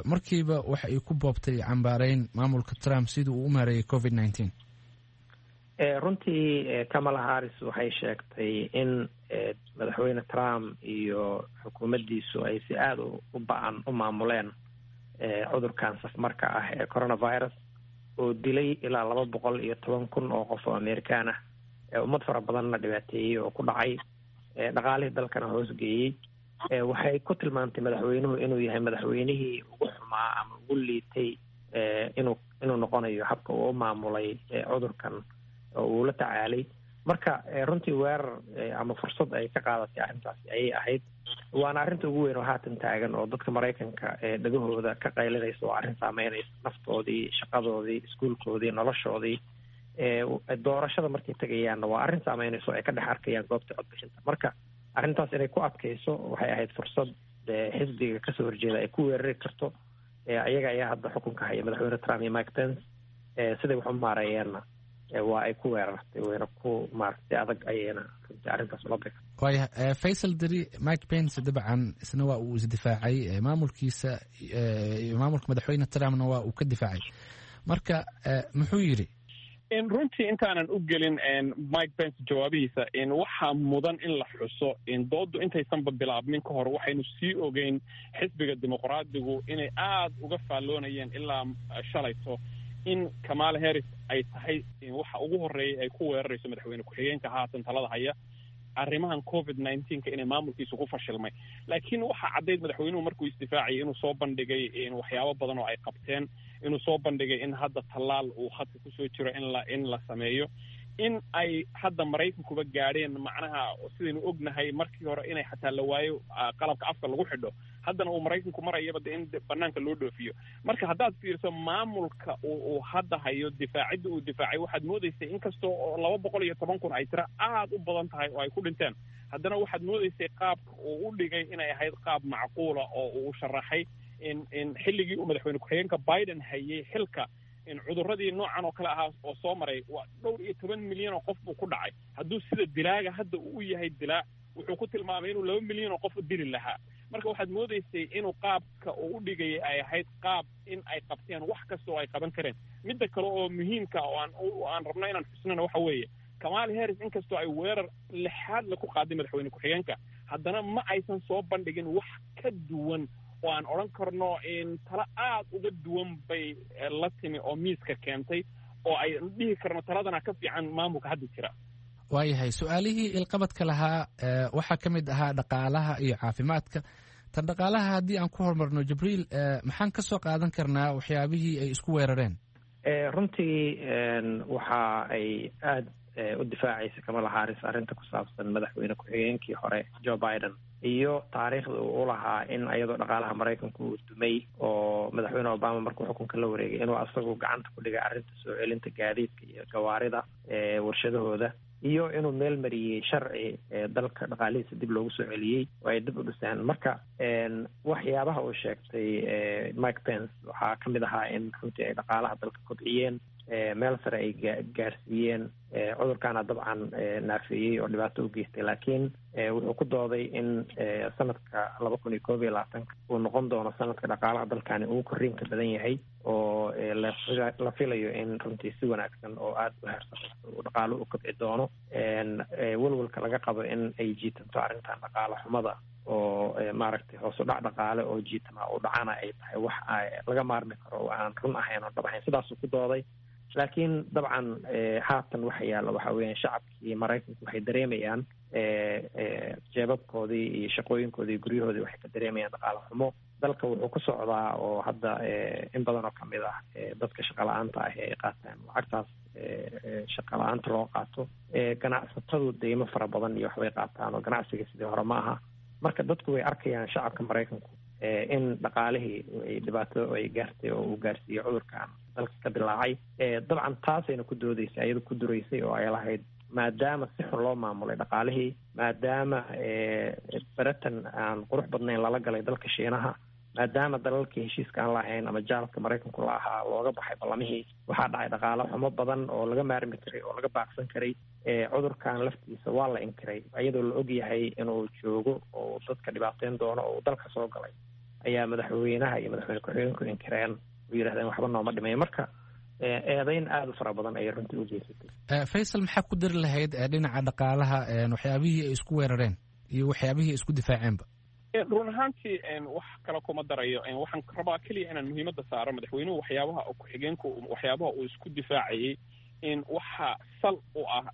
Markiiba waxa ay ku boobtay cambaareyn maamulka Trump sidii uu u maareeyay covid nineteen. Runtii Kamala Harris waxay sheegtay in madaxweyne Trump iyo xukuumaddiisu ay si aada u ba-an u maamuleen cudurkan safmarka ah ee coronavirus oo dilay ilaa laba boqol iyo toban kun oo qof oo Amerikaan ah, ummad fara badanna dhibaateeyey oo ku dhacay, dhaqaalihii dalkana hoosgeeyey. Waxay ku tilmaantay madaxweynuhu inuu yahay madaxweynihii ugu xumaa ama ugu liitay inuu inuu noqonayo habka uu u maamulay cudurkan oo uu la tacaalay. Marka runtii weerar ama fursad ay ka qaadatay arrintaasi ayay ahayd, waana arrinta ugu weyn oo haatan taagan oo dadka Maraykanka dhegahooda ka qaylinaysa, oo arrin saameynaysa naftoodii, shaqadoodii, iskuulkoodii, noloshoodii. Doorashada markay tegayaanna waa arrin saameynaysa oo ay ka dhex arkayaan goobta codbixinta. Marka arrintaas inay ku adkayso waxay ahayd fursad xisbiga kasoo horjeeda ay ku weerari karto. Ayaga ayaa hadda xukunka haya, madaxweyne Trump iyo Mike Pence, siday wax u maareeyeenna waa ay ku weerartay, wayna ku maaragtay adag ayayna runtii arrintaas ula beg. Waaya Faysal Deri, Mike Pence dabcan isna waa uu isdifaacay, maamulkiisa maamulka madaxweyne Trumpna waa uu ka difaacay. Marka muxuu yidhi? Runtii intaanan u gelin Mike Pence jawaabihiisa, waxaa mudan in la xuso dooddu intaysanba bilaabmin ka hor waxaynu sii ogeyn xisbiga dimuqraadigu inay aada uga faalloonayeen ilaa shalayto in Kamala Harris ay tahay waxa ugu horreeyay ay ku weerarayso madaxweyne ku-xigeenka haatan talada haya arrimahan covid nineteenka inay maamulkiisu ku fashilmay. Laakiin waxaa caddayd madaxweynuhu markuu isdifaacayay inuu soo bandhigay waxyaabo badan oo ay qabteen, inuu soo bandhigay in hadda tallaal uu khadka kusoo jiro in la in la sameeyo, in ay hadda Maraykankuba gaadheen macnaha sidaynu ognahay markii hore inay xataa la waayo qalabka afka lagu xidho, haddana uu Maraykanku marayaba de in banaanka loo dhoofiyo. Marka haddaad fiiriso maamulka uu hadda hayo difaacidda uu difaacay, waxaad moodaysay inkastoo oo laba boqol iyo toban kun ay tiro aada u badan tahay oo ay ku dhinteen, haddana waxaad moodaysay qaabka uu u dhigay inay ahayd qaab macquula oo uu sharaxay in in xilligii uu madaxweyne ku-xigeenka Biden hayay xilka in cudurradii noocan oo kale ahaa oo soo maray waa dhowr iyo toban milyan oo qof buu ku dhacay. Hadduu sida dilaaga hadda uu yahay dilaa, wuxuu ku tilmaamay inuu laba milyan oo qof u dili lahaa. Marka waxaad moodaysay inuu qaabka uu u dhigayay ay ahayd qaab in ay qabteen wax kasta oo ay qaban kareen. Midda kale oo muhiimka oo aan aan rabno inaan xusnana waxa weeye, Kamala Harris inkastoo ay weerar lixaad la ku qaaday madaxweyne ku-xigeenka, haddana ma aysan soo bandhigin wax ka duwan oo aan odhan karno in talo aada uga duwan bay la timi oo miiska keentay oo ay dhihi karno taladana ka fiican maamulka hadda jira. Waayahay, su-aalihii ilqabadka lahaa waxaa ka mid ahaa dhaqaalaha iyo caafimaadka. Tan dhaqaalaha haddii aan ku horumarno, Jibriil, maxaan ka soo qaadan karnaa waxyaabihii ay isku weerareen? Runtii waxa ay aada u difaacaysa Kamala Harris arrinta ku saabsan madaxweyne ku-xigeenkii hore Joe Biden iyo taariikhda uu u lahaa in iyadoo dhaqaalaha Maraykanku uu dumay oo madaxweyne Obama markuu xukunka la wareegay inuu asagu gacanta ku dhigay arrinta soo celinta gaadiidka iyo gawaarida warshadahooda, iyo inuu meel mariyey sharci dalka dhaqaalihiisa dib loogu soo celiyey oo ay dib u dhiseen. Marka waxyaabaha uu sheegtay Mike Pence waxaa ka mid ahaa in runtii ay dhaqaalaha dalka kobciyeen, meel sare ay gaarsiiyeen, cudurkaana dabcan naafeeyey oo dhibaato u geystay. Laakiin wuxuu ku dooday in sanadka laba kun iyo koob iyo labaatanka uu noqon doono sanadka dhaqaalaha dalkani ugu korriinka badan yahay, oo la filayo in runtii si wanaagsan oo aada u heersarayso uu dhaqaalo u kobci doono. Welwelka laga qabo in ay jiitanto arrintan dhaqaalo xumada oo maaragtay hoos u dhac dhaqaale oo jiitama u dhacana ay tahay wax laga maarmi karo oo aan run ahayn oo dhab ahayn, sidaasuu ku dooday. Laakiin dabcan haatan waxa yaalla waxa weeyaan shacabkii Maraykanku waxay dareemayaan jeebabkoodii iyo shaqooyinkoodii iyo guryahoodii waxay ka dareemayaan dhaqaale xumo. Dalka wuxuu ku socdaa oo hadda in badan oo kamid ah dadka shaqa la-aanta ah ee ay qaataan lacagtaas shaqa la-aanta loo qaato, ganacsatadu deymo fara badan iyo waxbay qaataan oo ganacsiga sidii hore ma aha. Marka dadku way arkayaan shacabka Maraykanku in dhaqaalihii ay dhibaato ay gaartay oo uu gaarsiiyey cudurkan dalka ka dilaacay. Dabcan taasayna ku doodeysay, ayada ku duraysay oo ay lahayd maadaama si xun loo maamulay dhaqaalihii, maadaama baratan aan qurux badnayn lala galay dalka Shiinaha, maadaama dalalkii heshiiska aan lahayn ama jaalka Maraykanku la ahaa looga baxay ballamihii, waxaa dhacay dhaqaalo xumo badan oo laga maarmi karay oo laga baaqsan karay. Cudurkan laftiisa waa la inkiray iyadoo la ogyahay inuu joogo oo dadka dhibaateyn doono oo uu dalka soo galay, ayaa madaxweynaha iyo madaxweyne ku-xigeenku inkireen oo yidhahdeen waxba nooma dhimay. Marka eedayn aada u fara badan ayay runtii u geysatay. Faysal, maxaa ku dari lahayd dhinaca dhaqaalaha waxyaabihii ay isku weerareen? iyo waxyaabihii isku difaaceenba. Run ahaantii wax kale kuma darayo, waxaan rabaa keliya inaan muhiimadda saaro madaxweynuhu waxyaabaha ku-xigeenku waxyaabaha uu isku difaacayey in waxa sal u ah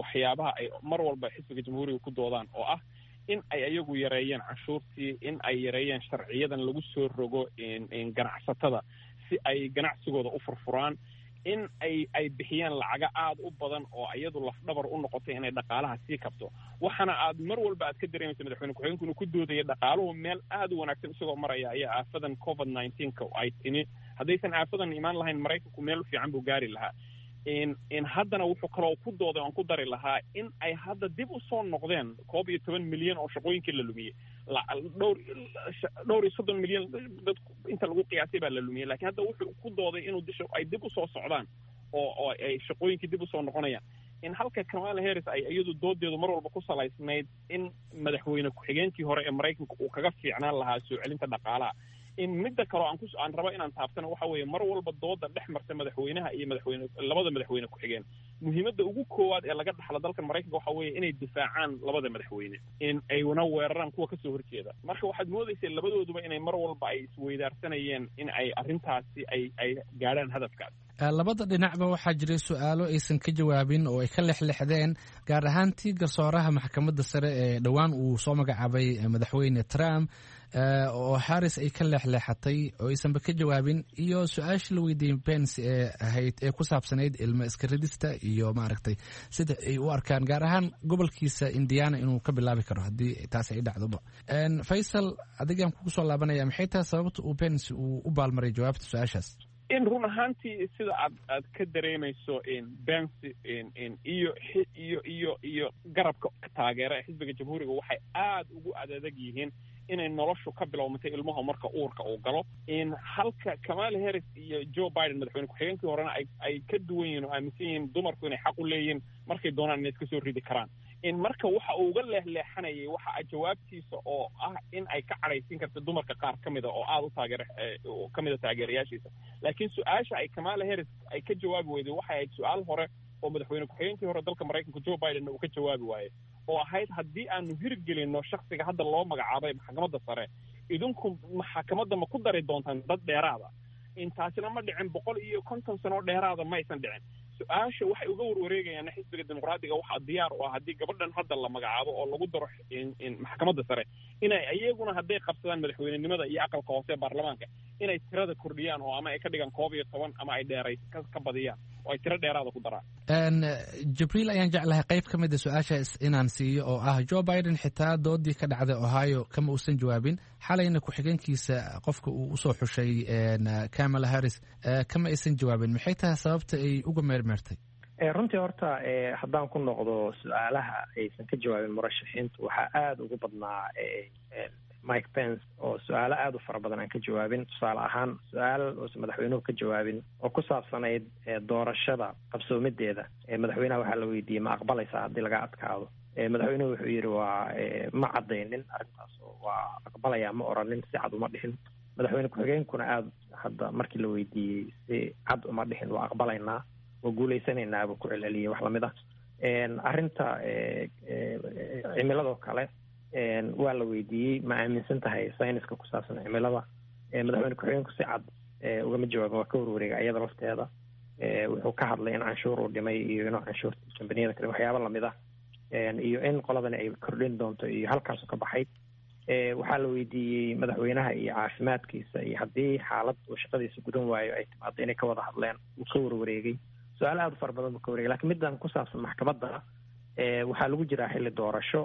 waxyaabaha ay mar walba xisbiga jamhuuriga ku doodaan oo ah in ay ayagu yareeyeen canshuurtii, in ay yareeyeen sharciyadan lagu soo rogo ganacsatada si ay ganacsigooda u furfuraan, in ay ay bixiyaan lacaga aada u badan oo iyadu lafdhabar u noqotay inay dhaqaalaha sii kabto. Waxaana aad mar walba aad ka dareemaysa madaxweyne ku-xigeenku inuu ku doodaya dhaqaaluhu meel aada u wanaagsan isagoo maraya ayaa aafadan covid nineteenka ay timi. Haddaysan aafadan imaan lahayn Maraykanku meel fiican buu gaari lahaa. In haddana wuxuu kaloo ku dooday oon ku dari lahaa in ay hadda dib u soo noqdeen koob iyo toban milyan oo shaqooyinkii la lumiyey, dhowr dhowr iyo soddon milyan dad inta lagu qiyaasay baa la lumiyey, lakiin hadda wuxuu ku dooday inuu disha ay dib usoo socdaan oo oo ay shaqooyinkii dib usoo noqonayaan. In halka Kamala Harris ay iyadu doodeedu mar walba ku salaysnayd in madaxweyne ku-xigeenkii hore ee Maraykanka uu kaga fiicnaan lahaa soo celinta dhaqaalaha. In midda kaleo aan ku aan rabo inaan taabtana waxa weeye mar walba dooda dhex marta madaxweynaha iyo madaxweyne labada madaxweyne ku-xigeen, muhiimadda ugu koowaad ee laga dhaxlo dalka Maraykanka waxa weeye inay difaacaan labada madaxweyne, in ayna weeraraan kuwa kasoo horjeeda. Marka waxaad moodaysay labadooduba inay mar walba ay isweydaarsanayeen in ay arrintaasi ay ay gaadhaan hadafkaas. Labada dhinacba waxaa jiray su-aalo aysan ka jawaabin oo ay ka lexlexdeen, gaar ahaantii garsooraha maxkamadda sare ee dhowaan uu soo magacaabay madaxweyne Trump oo Harris ay ka leexleexatay oo aysanba ka jawaabin, iyo su-aashii la weydiiyey Pence ee ahayd ee ku saabsanayd ilmo iska ridista iyo maaragtay sida ay u arkaan gaar ahaan gobolkiisa Indiana inuu ka bilaabi karo haddii taasi ay dhacdoba. Faysal, adigaan kugu soo laabanaya, maxay tahay sababta uu Pence uu u baalmaray jawaabta su-aashaas? In run ahaantii sida aad aad ka dareemayso Pence iyo iyo iyo iyo garabka taageera ee xisbiga jamhuuriga waxay aada ugu adadag yihiin inay noloshu ka bilowmatay ilmaha marka uurka uu galo, in halka Kamala Harris iyo Joe Biden madaxweyne ku-xigeenkii horena ay ay ka duwan yihiin oo aaminsan yihiin dumarku inay xaq u leeyihiin markay doonaan inay iska soo ridi karaan. In marka waxa uu uga leexleexanayay waxa jawaabtiisa oo ah in ay ka cadhaysiin karta dumarka qaar ka mida oo aada u taageer ka mida taageerayaashiisa. Laakiin su-aasha ay Kamala Harris ay ka jawaabi weyday waxay ahayd su-aal hore oo madaxweyne ku-xigeenkii hore dalka Maraykanka Joe Biden uu ka jawaabi waayey oo ahayd haddii aanu hirgelinno shaksiga hadda loo magacaabay maxkamadda sare, idinku maxkamadda ma ku dari doontaan dad dheeraada? Intaasina ma dhicin, boqol iyo konton sano dheeraada maysan dhicin. Su-aasha waxay uga warwareegayaan xisbiga dimuqraadiga waxaa diyaar u ah haddii gabadhan hadda la magacaabo oo lagu daro maxkamadda sare inay iyaguna hadday qabsadaan madaxweynenimada iyo aqalka hoose ee baarlamaanka inay tirada kordhiyaan oo ama ay ka dhigaan koob iyo toban ama ay dheeray ka badiyaan oo ay tiro dheeraada ku daraan. Jibriil ayaan jeclahay qayb ka mid a su-aashaas inaan siiyo oo ah Joe Biden xitaa doodii ka dhacday Ohio kama uusan jawaabin, xalayna ku-xigeenkiisa qofka uu usoo xushay Kamala Harris kama aysan jawaabin. Maxay tahay sababta ay uga meermeertay? Runtii horta haddaan ku noqdo su-aalaha aysan ka jawaabin murashaxiintu, waxaa aada ugu badnaa Mike Pence oo su-aalo aada u fara badan aan ka jawaabin. Tusaale ahaan su-aal uusan madaxweynuhu ka jawaabin oo ku saabsanayd doorashada qabsoomideeda, madaxweynaha waxaa la weydiiyey ma aqbalaysaa haddii laga adkaado? Madaxweynuhu wuxuu yidhi waa ma caddaynin arrintaas oo waa aqbalayaa ma oranin, si cad uma dhihin. Madaxweyne ku-xigeenkuna aada hadda markii la weydiiyey si cad uma dhihin, waa aqbalaynaa, waa guuleysanaynaa buu ku celceliyey wax lamid ah. Arrinta cimiladoo kale waa la weydiiyey ma aaminsan tahay sayniska ku saabsan cimilada? Madaxweyne ku-xigeenku si cad ugama jawaabin, waa ka warwareega iyada lafteeda. Wuxuu ka hadlay in canshuur uu dhimay iyo inuu canshuurta kambaniyada kale waxyaaba lamid ah iyo in qoladani ay kordhin doonto iyo halkaasu ka baxay. Waxaa la weydiiyey madaxweynaha iyo caafimaadkiisa iyo haddii xaalad uu shaqadiisa gudan waayo ay timaado inay ka wada hadleen, wuu ka warwareegay. Su-aal aada u fara badan buu ka wareegay. Lakiin middan ku saabsan maxkamadda, waxaa lagu jiraa xilli doorasho,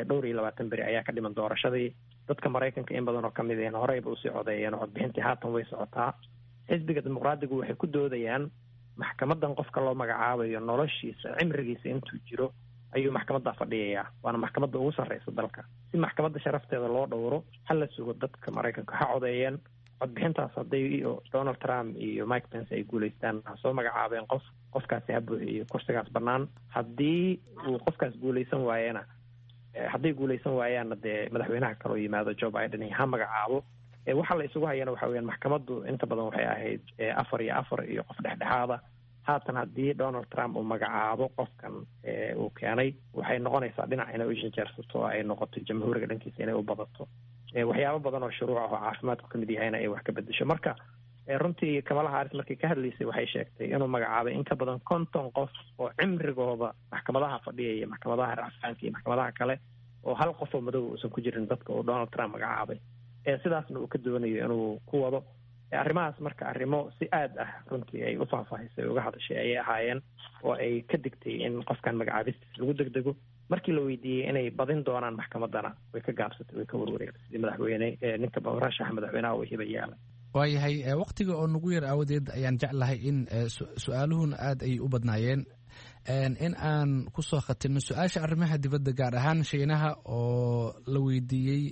dhowr iyo labaatan beri ayaa ka dhiman doorashadii. Dadka Maraykanka in badan oo kamid ahna horeyba usii codeeyeen oo codbixintii haatan way socotaa. Xisbiga dimuqraadigu waxay ku doodayaan maxkamadan qofka loo magacaabayo noloshiisa cimrigiisa intuu jiro ayuu maxkamadda fadhiyayaa, waana maxkamadda ugu sarreysa dalka. Si maxkamadda sharafteeda loo dhowro ha la sugo dadka Maraykanka ha codeeyeen codbixintaas. Hadday Donald Trump iyo Mike Pence ay guuleystaan ha soo magacaabeen qof, qofkaasi ha buuxiyo kursigaas bannaan. Haddii uu qofkaas guuleysan waayena, hadday guuleysan waayaanna dee madaxweynaha kaloo yimaado Joe Biden ha magacaabo. Waxa la isugu hayana waxa weyaan maxkamaddu inta badan waxay ahayd afar iyo afar iyo qof dhexdhexaada. Haatan haddii Donald Trump uu magacaabo qofkan uu keenay, waxay noqonaysaa dhinac inay u janjeersato oo ay noqoto jamhuuriga dhankiisa inay u badato, waxyaabo badan oo shuruuc ah oo caafimaadku kamid yahayna ay wax ka bedesho. Marka runtii Kamala Harris markii ka hadlaysay waxay sheegtay inuu magacaabay in ka badan konton qof oo cimrigooda maxkamadaha fadhiyaya, maxkamadaha racfaanka iyo maxkamadaha kale, oo hal qof oo madow uusan ku jirin dadka uu Donald Trump magacaabay, sidaasna uu ka doonayo inuu ku wado arrimahaas. Marka arrimo si aad ah runtii ay u faahfaahisay uga hadashay ayay ahaayeen, oo ay ka digtay in qofkan magacaabistiis lagu degdego. Markii la weydiiyey inay badin doonaan maxkamaddana, way ka gaabsatay, way ka warwareegtay sidii madaxweyne ninka murashaxa madaxweynaha uu hiba yeelay. Waayahay, waktiga oo nagu yar aawadeed ayaan jeclahay in su-aaluhuna aad ay u badnaayeen in aan kusoo khatimno su-aasha arrimaha dibadda, gaar ahaan Shiinaha oo la weydiiyey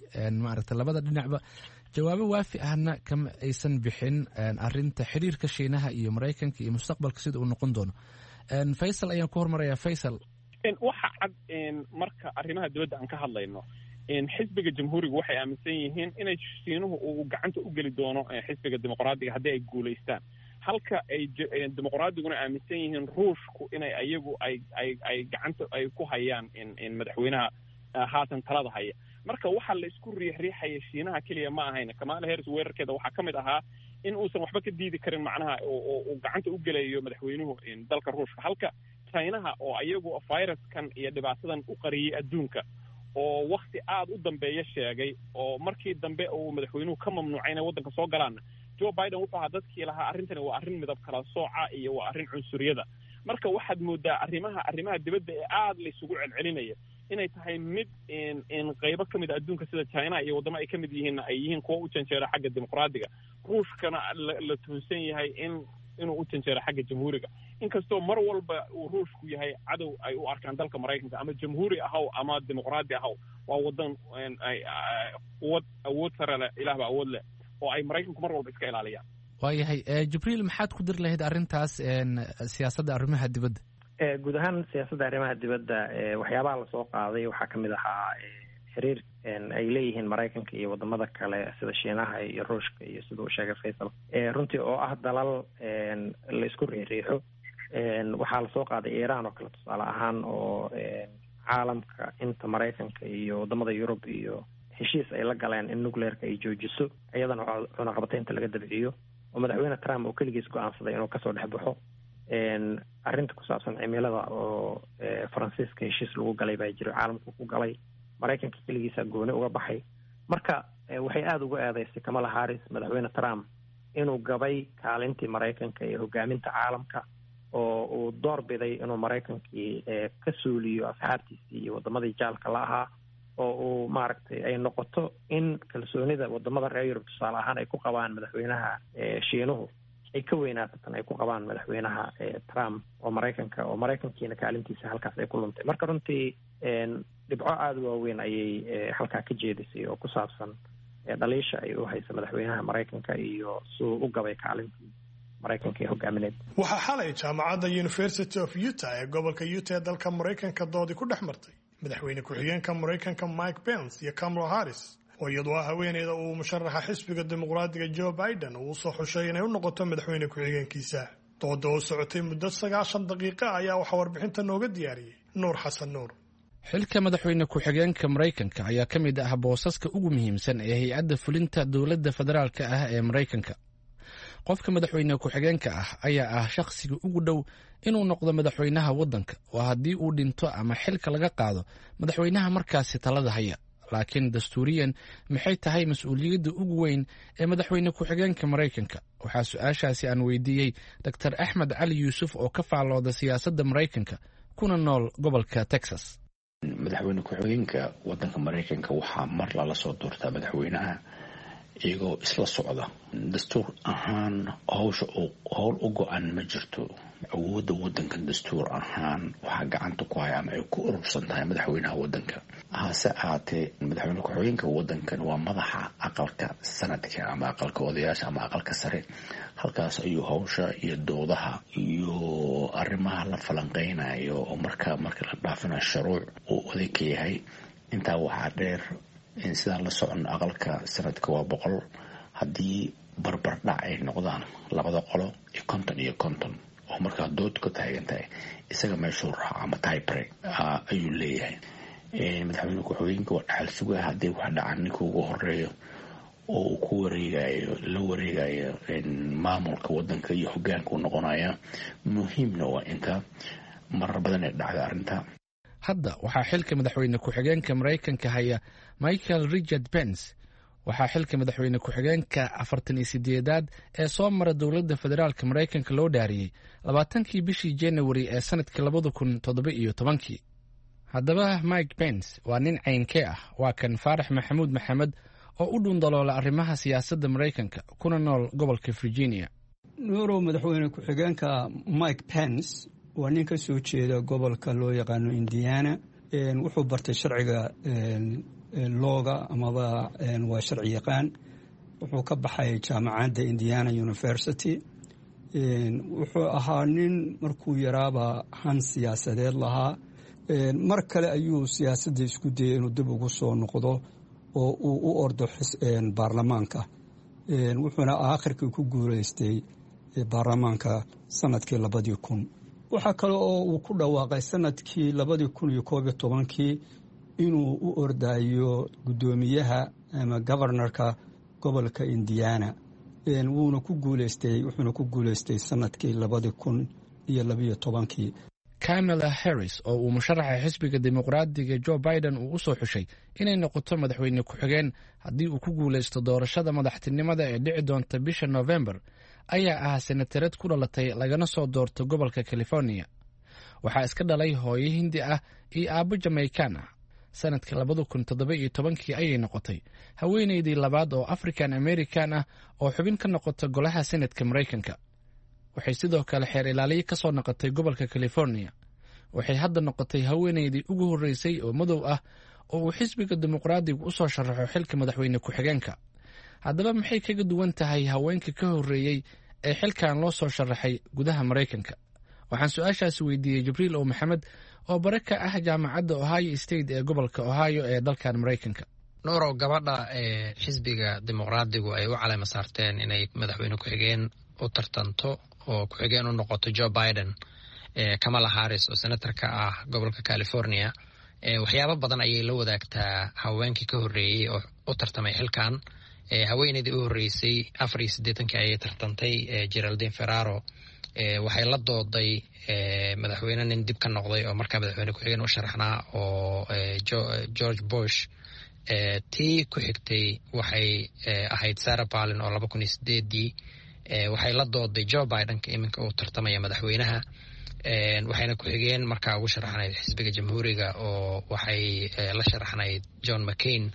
maaragta labada dhinacba jawaabo waafi ahna kama aysan bixin arinta xiriirka Shiinaha iyo Maraykanka iyo mustaqbalka sida uu noqon doono. Faysal ayaan ku hormarayaa. Faysal. Waxa cad marka arrimaha dibadda aan ka hadlayno, xisbiga Jamhuuriga waxay aaminsan yihiin inay Shiinuhu uu gacanta u geli doono xisbiga Dimuqraadiga haddii ay guulaystaan, halka ay Dimuqraadiguna aaminsan yihiin Ruushku inay ayagu ay ay ay gacanta ay ku hayaan madaxweynaha haatan talada haya. Marka waxaa la isku riixriixaya Shiinaha keliya ma ahayna. Kamala Harris weerarkeeda waxaa ka mid ahaa in uusan waxba ka diidi karin, macnaha uu gacanta u gelayo madaxweynuhu dalka Ruushka, halka Chinaha oo ayagu viruskan iyo dhibaatadan u qariyey adduunka oo wakti aada u dambeeya sheegay, oo markii dambe uu madaxweynuhu ka mamnuucay inay waddanka soo galaanna, Joe Biden wuxuu ahaa dadkii lahaa arrintani waa arrin midab kala sooca iyo waa arrin cunsuriyada. Marka waxaad moodaa arrimaha arrimaha dibadda ee aada la isugu celcelinaya inay tahay mid in qaybo ka mid a adduunka sida China iyo waddamo ay ka mid yihiinna ay yihiin kuwa u janjeera xagga Dimuqraadiga, Ruushkana la tuhunsan yahay in inuu u janjeero xagga Jamhuuriga, inkastoo mar walba uu Ruushku yahay cadow ay u arkaan dalka Maraykanka, ama Jamhuuri ahaw ama Dimuqraadi ahaw, waa wadan quwad awood sare leh, Ilaah baa awood leh, oo ay Maraykanku mar walba iska ilaaliyaan. Waayahay, Jibriil, maxaad ku diri lahayd arrintaas siyaasadda arrimaha dibadda? Guud ahaan siyaasadda arrimaha dibadda waxyaabaha lasoo qaaday waxaa kamid ahaa xiriir ay leeyihiin Maraykanka iyo wadamada kale sida Shiinaha iyo Ruushka iyo sida uu sheegay Faysal, runtii oo ah dalal la isku riixriixo. Waxaa lasoo qaaday Iiraan oo kale tusaale ahaan, oo caalamka inta Maraykanka iyo wadamada Yurub iyo heshiis ay la galeen in nuclearka ay joojiso, iyadana cunaqabataynta laga dabciyo, oo madaxweyne Trump oo keligiis go-aansaday inuu kasoo dhex baxo. Arrinta ku saabsan cimilada oo Faransiiska heshiis lagu galay baa jiro, caalamku ku galay, Maraykanka keligiisa gooni uga baxay. Marka waxay aada uga eedeysay Kamala Harris madaxweyne Trump inuu gabay kaalintii Maraykanka ee hogaaminta caalamka, oo uu door biday inuu Maraykankii ka suuliyo asxaabtiisii iyo wadamadii jaalka la ahaa, oo uu maaragtay ay noqoto in kalsoonida wadamada reer Yurub tusaale ahaan ay ku qabaan madaxweynaha Shiinuhu ay ka weynaato tan ay ku qabaan madaxweynaha Trump oo Maraykanka, oo Maraykankiina kaalintiisa halkaas ay ku luntay. Marka runtii dhibco aada u waaweyn ayay halkaa ka jeedisay oo ku saabsan dhaliisha ay u haysa madaxweynaha Maraykanka iyo siduu u gabay kaalintii Maraykanka ee hogaamineed. Waxaa xalay jaamacadda University of Utah ee gobolka Utah ee dalka Maraykanka doodii ku dhex martay madaxweyne ku-xigeenka Maraykanka Mike Pence iyo Kamala Harris, oo iyadoo ah haweeneyda uu musharaxa xisbiga Dimuqraadiga Joe Biden uu usoo xushay inay u noqoto madaxweyne ku-xigeenkiisa. Dooda oo socotay muddo sagaashan daqiiqa ayaa waxaa warbixinta nooga diyaariyey Nuur Xasan Nuur. Xilka madaxweyne ku-xigeenka Maraykanka ayaa ka mid ah boosaska ugu muhiimsan ee hay-adda fulinta dowladda federaalka ah ee Maraykanka. Qofka madaxweyne ku-xigeenka ah ayaa ah shakhsiga ugu dhow inuu noqdo madaxweynaha waddanka, oo haddii uu dhinto ama xilka laga qaado madaxweynaha markaasi talada haya. Laakiin dastuuriyan maxay tahay mas-uuliyadda ugu weyn ee madaxweyne ku-xigeenka Maraykanka? Waxaa su-aashaasi aan weydiiyey Doctor Axmed Cali Yuusuf oo ka faallooda siyaasadda Maraykanka kuna nool gobolka Texas. Madaxweyne ku-xigeenka wadanka Maraykanka waxaa mar lala soo doortaa madaxweynaha iyagoo isla socda. Dastuur ahaan hawsha howl u go-an ma jirto. Awoodda wadanka dastuur ahaan waxaa gacanta ku haya ama ay ku urursan tahay madaxweynaha wadanka. Hase ahaatee, madaxweyne ku-xigeenka wadankan waa madaxa aqalka sanadka ama aqalka odayaasha ama aqalka sare. Halkaas ayuu hawsha iyo doodaha iyo arrimaha la falanqeynayo oo marka marka la dhaafinayo shuruuc uu oday ka yahay. Intaa waxaa dheer in sidaan la socono aqalka sanadka waa boqol. Haddii barbardhac ay noqdaan labada qolo iyo konton iyo konton Oo markaa dood ka taagan tahay isaga meeshuu raaco ama tibrek ayuu leeyahay. Madaxweyne ku-xigeenka waa dhaxal sugaa, haddii wax dhacan ninka ugu horeeyo oo uu ku wareegayo, la wareegayo maamulka wadanka iyo hogaanka u noqonaya. Muhiimna waa inta marar badan ee dhacda arrinta. Hadda waxaa xilka madaxweyne ku-xigeenka Maraykanka haya Michael Richard Pence. Waxaa xilka madaxweyne ku-xigeenka afartan iyo sideedaad ee soo mara dowladda federaalka Maraykanka loo dhaariyey labaatankii bishii Januari ee sanadkii labada kun toddoba iyo tobankii. Haddaba Mike Pence waa nin caynkee ah? Waa kan Faarax Maxamuud Maxamed oo u dhundaloola arrimaha siyaasadda Maraykanka kuna nool gobolka Virginia. Nuurow, madaxweyne ku-xigeenka Mike Pence waa nin ka soo jeeda gobolka loo yaqaano Indiana. Wuxuu bartay sharciga looga amaba waa sharci yaqaan. Wuxuu ka baxay jaamacadda Indiana University. Wuxuu ahaa nin markuu yaraaba han siyaasadeed lahaa. Mar kale ayuu siyaasadda isku dayay inuu dib ugu soo noqdo oo uu u ordo baarlamaanka, wuxuuna aakhirkii ku guuleystay baarlamaanka sanadkii labadii kun. Waxaa kale oo uu ku dhawaaqay sanadkii labadii kun iyo koob iyo tobankii inuu u ordayo guddoomiyaha ama governorka gobolka Indiana, wuuna ku guuleystay. Wuxuuna ku guuleystay sanadkii labadii kun iyo labiyo tobankii. Kamala Harris oo uu musharaxa xisbiga Dimuqraadiga Joe Biden uu u soo xushay inay noqoto madaxweyne ku-xigeen haddii uu ku guulaysto doorashada madaxtinimada ee dhici doonta bisha November, ayaa ah senatarad ku dhalatay lagana soo doorto gobolka California. Waxaa iska dhalay hooyo Hindi ah iyo aabbo Jamaikan ah. Sanadka labada kun toddoba iyo tobankii ayay noqotay haweeneydii labaad oo African American ah oo xubin ka noqota golaha Senatka Maraykanka. Waxay sidoo kale xeer ilaaliye ka soo noqotay gobolka California. Waxay hadda noqotay haweeneydii ugu horreysay oo madow ah oo uu xisbiga Dimuqraadigu u soo sharaxo xilka madaxweyne ku-xigeenka. Haddaba maxay kaga duwan tahay haweenka ka horreeyey ee xilkan loo soo sharaxay gudaha Maraykanka? Waxaan su-aashaasi weydiiyey Jibriil O Maxamed oo bare ka ah jaamacadda Ohio State ee gobolka Ohio ee dalkan Maraykanka. Nuurow, gabadha ee xisbiga Dimuqraadigu ay u caleyma saarteen inay madaxweyne ku-xigeen u tartanto oo ku-xigeen u noqoto Joe Biden, Kamala Harris oo senatarka ah gobolka California, waxyaabo badan ayay la wadaagtaa haweenkii ka horreeyey oo u tartamay xilkan. Haweeneydii u horreysay afar iyo siddeetankii ayay tartantay, Geraldine Ferraro. Waxay la dooday madaxweyne nin dib ka noqday oo markaa madaxweyne ku-xigeen u sharaxnaa oo George Bush. Tii ku xigtay waxay ahayd Sarah Palin oo laba kun iyo sideedii waxay la dooday Joe Bidenka iminka uu tartamaya madaxweynaha, waxayna ku-xigeen markaa ugu sharaxnayd xisbiga Jamhuuriga oo waxay la sharaxnayd John McCain.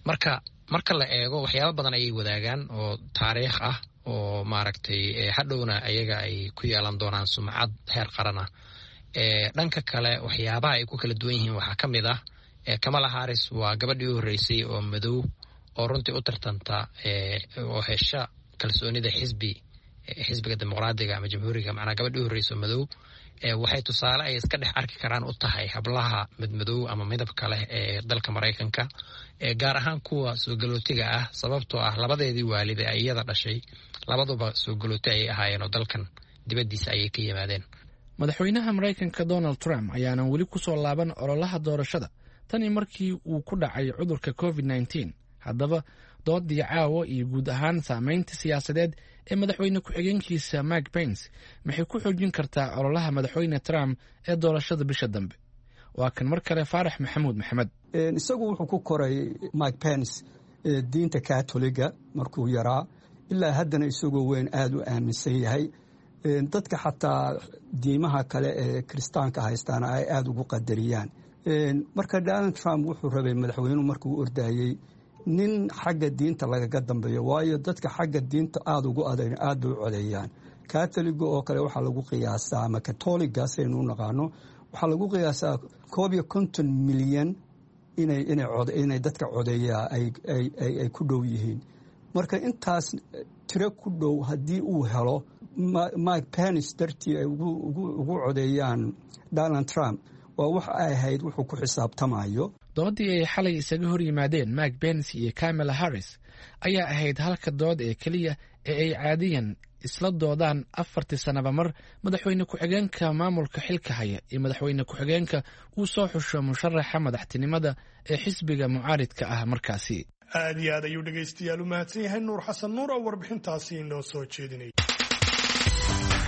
Marka marka la eego, waxyaabo badan ayay wadaagaan oo taariikh ah oo maaragtay hadhowna ayaga ay ku yeelan doonaan sumcad heer qaran ah. Dhanka kale, waxyaabaha ay ku kala duwan yihiin waxaa ka mid ah Kamala Harris waa gabadhii u horreysay oo madow oo runtii u tartanta oo hesha kalsoonida xisbi xisbiga Dimuqraadiga ama Jamhuuriga, macnaa gabadhii u horreysa oo madow. Waxay tusaale ay iska dhex arki karaan u tahay hablaha madmadow ama midabka leh ee dalka Maraykanka, gaar ahaan kuwa soo galootiga ah, sababtoo ah labadeedii waalid ee iyada dhashay labaduba soo galooti ayay ahaayeen oo dalkan dibaddiisa ayay ka yimaadeen. Madaxweynaha Maraykanka Donald Trump ayaanan weli ku soo laaban ololaha doorashada tanii markii uu ku dhacay cudurka covid nineteen. Haddaba doodii caawa iyo guud ahaan saameynta siyaasadeed ee madaxweyne ku-xigeenkiisa Mike Pence maxay ku xoojin kartaa ololaha madaxweyne Trump ee doorashada bisha dambe? Waa kan mar kale Faarax Maxamuud Maxamed. Isagu wuxuu ku koray Mike Pence diinta Katoliga markuu yaraa, ilaa haddana isagoo weyn aada u aaminsan yahay. Dadka xataa diimaha kale ee kiristaanka haystaana ay aada ugu qadariyaan. Marka Donald Trump wuxuu rabay madaxweynuhu markuu ordayey nin xagga diinta lagaga dambeeyo, waayo dadka xagga diinta aada ugu adan aada bay u codeeyaan. Katoliga oo kale waxaa lagu qiyaasaa, ama katoliga saynu u naqaano, waxaa lagu qiyaasaa koob iyo konton milyan inay inay dadka codeeyaa ay ku dhow yihiin. Marka intaas tiro ku dhow haddii uu helo Mike Pence dartii ay ugu codeeyaan Donald Trump, waa wax ay ahayd wuxuu ku xisaabtamayo. Doodii ay xalay isaga hor yimaadeen Mike Pence iyo Kamala Harris ayaa ahayd halka dood ee keliya ee ay caadiyan isla doodaan afartii sanaba mar madaxweyne ku-xigeenka maamulka xilka haya iyo madaxweyne ku-xigeenka uu soo xusho musharaxa madaxtinimada ee xisbiga mucaaridka ah markaasi. Aad iyo aad ayuu dhegaystayaal u mahadsan yahay Nuur Xasan Nuur oo warbixintaasi inoo soo jeedinay.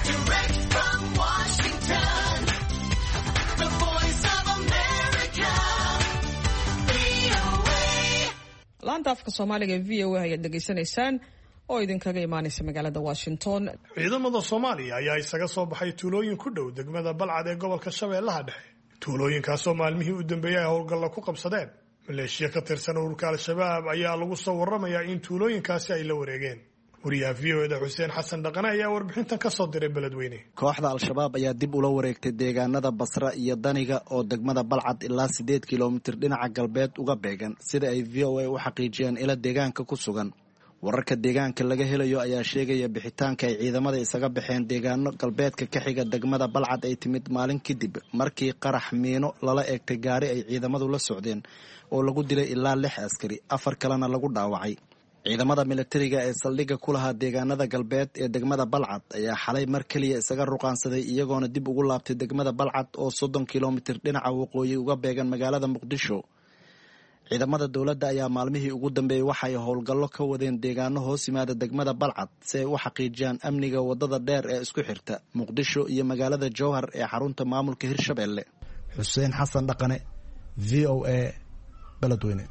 Direct from Washington, the voice of America, V O A. Laanta afka Soomaaliga ee V O A ayaad dhegaysanaysaan oo idinkaga imaanaysa magaalada Washington. Ciidamada Soomaaliya ayaa isaga soo baxay tuulooyin ku dhow degmada Balcad ee gobolka Shabeellaha Dhexe, tuulooyinkaasoo maalmihii u dambeeyey ay howlgalla ku qabsadeen maleeshiya ka tirsan ururka Al-Shabaab. Ayaa lagu soo warramayaa in tuulooyinkaasi ay la wareegeen. Wariyaha V O A da Xuseen Xasan Dhaqane ayaa warbixintan ka soo diray Beledweyne. Kooxda Al-Shabaab ayaa dib ula wareegtay deegaanada Basra iyo Daniga oo degmada Balcad ilaa sideed kilomitir dhinaca galbeed uga beegan, sida ay V O A u xaqiijiyeen ila deegaanka ku sugan. Wararka deegaanka laga helayo ayaa sheegaya bixitaanka ay ciidamada isaga baxeen deegaano galbeedka ka xiga degmada Balcad ay timid maalin kadib markii qarax miino lala eegtay gaari ay ciidamadu la socdeen oo lagu dilay ilaa lix askari, afar kalena lagu dhaawacay. Ciidamada militariga ee saldhigga ku lahaa deegaanada galbeed ee degmada Balcad ayaa xalay mar keliya isaga ruqaansaday, iyagoona dib ugu laabtay degmada Balcad oo soddon kilomitir dhinaca waqooyi uga beegan magaalada Muqdisho. Ciidamada dowladda ayaa maalmihii ugu dambeeyey waxay howlgallo ka wadeen deegaano hoos yimaada degmada Balcad si ay u xaqiijiyaan amniga wadada dheer ee isku xirta Muqdisho iyo magaalada Jowhar ee xarunta maamulka Hirshabelle. Xuseen Xasan Dhaqane, V O A, Beledweyne.